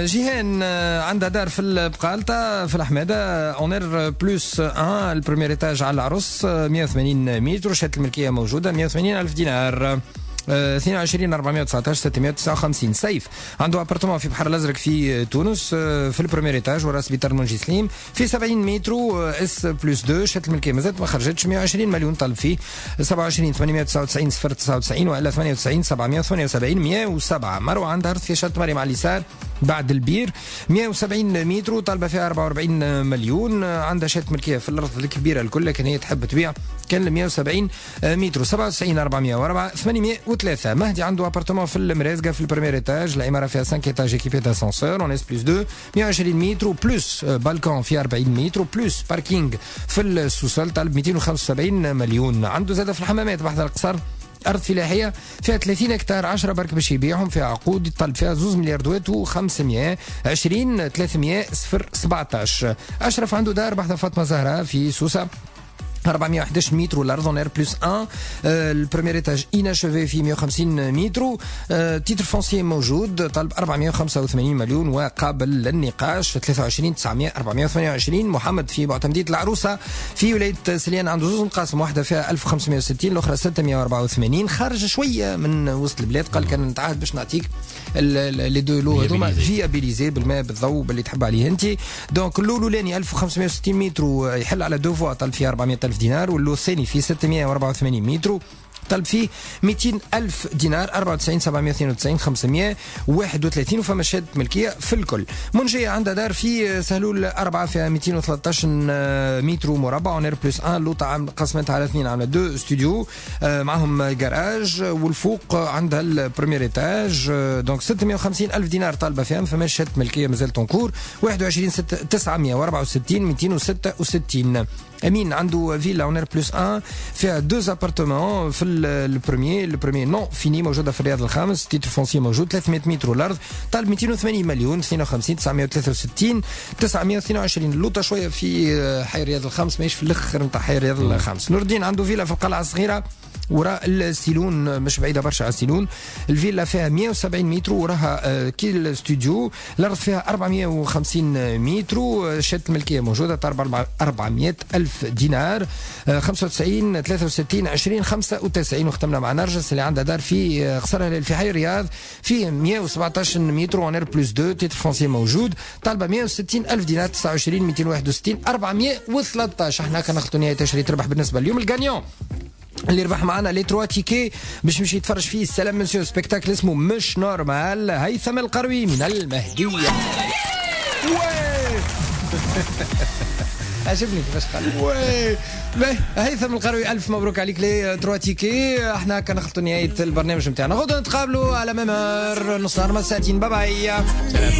جيهان عندها دار في البقالطة في الحمادة en R plus واحد ال premier étage على العرس مية وثمانين متر، شهادة الملكية موجودة مية وثمانين ألف دينار. اثنين وعشرين أربعمية وتسعطاش ستمية وتسعة وخمسين. سيف عنده appartement في بحر الازرق في تونس في ال premier étage ورا سبيطار منجي سليم في سبعين متر S plus اثنين، شهادة الملكية مازالت ما خرجتش، مية وعشرين مليون طالب فيه، سبعة وعشرين ثمانمية وتسعة وتسعين صفر تسعة وتسعين والا ثمانية وتسعين سبعمية وثمانية وسبعين مية وسبعة. مروه عندها ارض في شط مريم على اليسار بعد البير مية وسبعين متر طالبه فيها أربعة وأربعين مليون، عندها شهادة ملكية في الارض الكبيرة الكل لكن هي تحب تبيع كان مية وسبعين متر. سبعة وتسعين أربعمية وأربعة ثمانمية وثلاثة. مهدي عنده appartement في المرازقه في ال premier étage، العمارة فيها خمسة étages équipés d'ascenseur en S plus اثنين، مية وعشرين متر plus balcon في أربعين متر plus parking في ال sous-sol، طالب مئتين وخمسة وسبعين مليون. عنده زاده في الحمامات بحذا القصر أرض فلاحية فيها ثلاثين هكتار، عشرة برك باش يبيعهم، فيها عقود يطلب فيها زوز مليار دوات وخمسمية عشرين ثلاثمية صفر سبعطاش. أشرف عنده دار بحذا فاطمة زهراء في سوسة أربعمية وإحداش متر والارض en R plus واحد، ال premier étage inachevé في مية وخمسين متر، titre foncier موجود، طلب أربعمية وخمسة وثمانين مليون وقابل للنقاش، ثلاثة وعشرين تسعمية أربعمية وثمانية وعشرين. محمد في معتمدية العروسة في ولاية سليان عنده زوز مقاسم، واحدة فيها ألف وخمسمية وستين الأخرى ستمية وأربعة وثمانين، خارج شوية من وسط البلاد، قال كان نتعهد باش نعطيك les deux lots هذوما viabilisés بالماء بالضوء باللي تحب عليه انت. donc ال lot الاولاني ألف وخمسمية وستين متر يحل على deux voies، طلب فيها أربعمية ألف دينار، وال lot الثاني في ستمية وأربعة وثمانين متر طلب فيه مئتين ألف دينار، أربعة وتسعين سبعمية واثنين وتسعين خمسمية وواحد وثلاثين. وفما شهادة ملكية في الكل. منجية عندها دار في سهلول أربعة فيها مئتين وثلاثطاش متر مربع en R plus واحد، لوطة قسمتها على اثنين عاملة deux studios معهم جراج، والفوق عندها ال premier étage. donc ستمية وخمسين ألف دينار طالبة فيها، فما شهادة ملكية مازالت en cours، واحد وعشرين تسعمية وأربعة وستين مئتين وستة وستين. امين عنده فيلا en R plus واحد فيها deux appartements في ال premier، ال premier non fini موجودة في الرياض الخامس، titre foncier موجود، ثلاثمية متر الارض، طالب مئتين وثمانين مليون، اثنين وخمسين تسعمية وثلاثة وستين تسعمية واثنين وعشرين. اللوطه شوية في حي الرياض الخامس، ماهيش في الاخر نتاع حي الرياض الخامس. نور الدين عنده فيلا في القلعة الصغيرة وراء السيلون، مش بعيدة برشا على السيلون، الفيلا فيها مية وسبعين متر وراها كي الاستوديو، الارض فيها أربعمية وخمسين متر، شهادة الملكية موجودة، أربعمية ألف دينار، خمسة وتسعين ثلاثة وستين عشرين خمسة وتسعين. وختمنا مع نرجس اللي عندها دار في قصر في حي الرياض في مية وسبعطاش متر en R plus اثنين، titre foncier موجود، طالبه مية وستين ألف دينار، تسعة وعشرين مئتين وواحد وستين أربعمية وثلاثطاش. احنا كنخلطوا نهاية تشري تربح بالنسبة اليوم ال gagnant اللي ربح معنا les trois tickets باش يمشي يتفرج فيه السلام monsieur spectacle اسمه مش normal، هيثم القروي من المهدية. عجبني كيفاش قال oui. هيثم القروي الف مبروك عليك les trois tickets. احنا كنخلطوا نهاية البرنامج نتاعنا، غدا نتقابلوا على même heure نص نهار ساعتين. bye bye، سلام.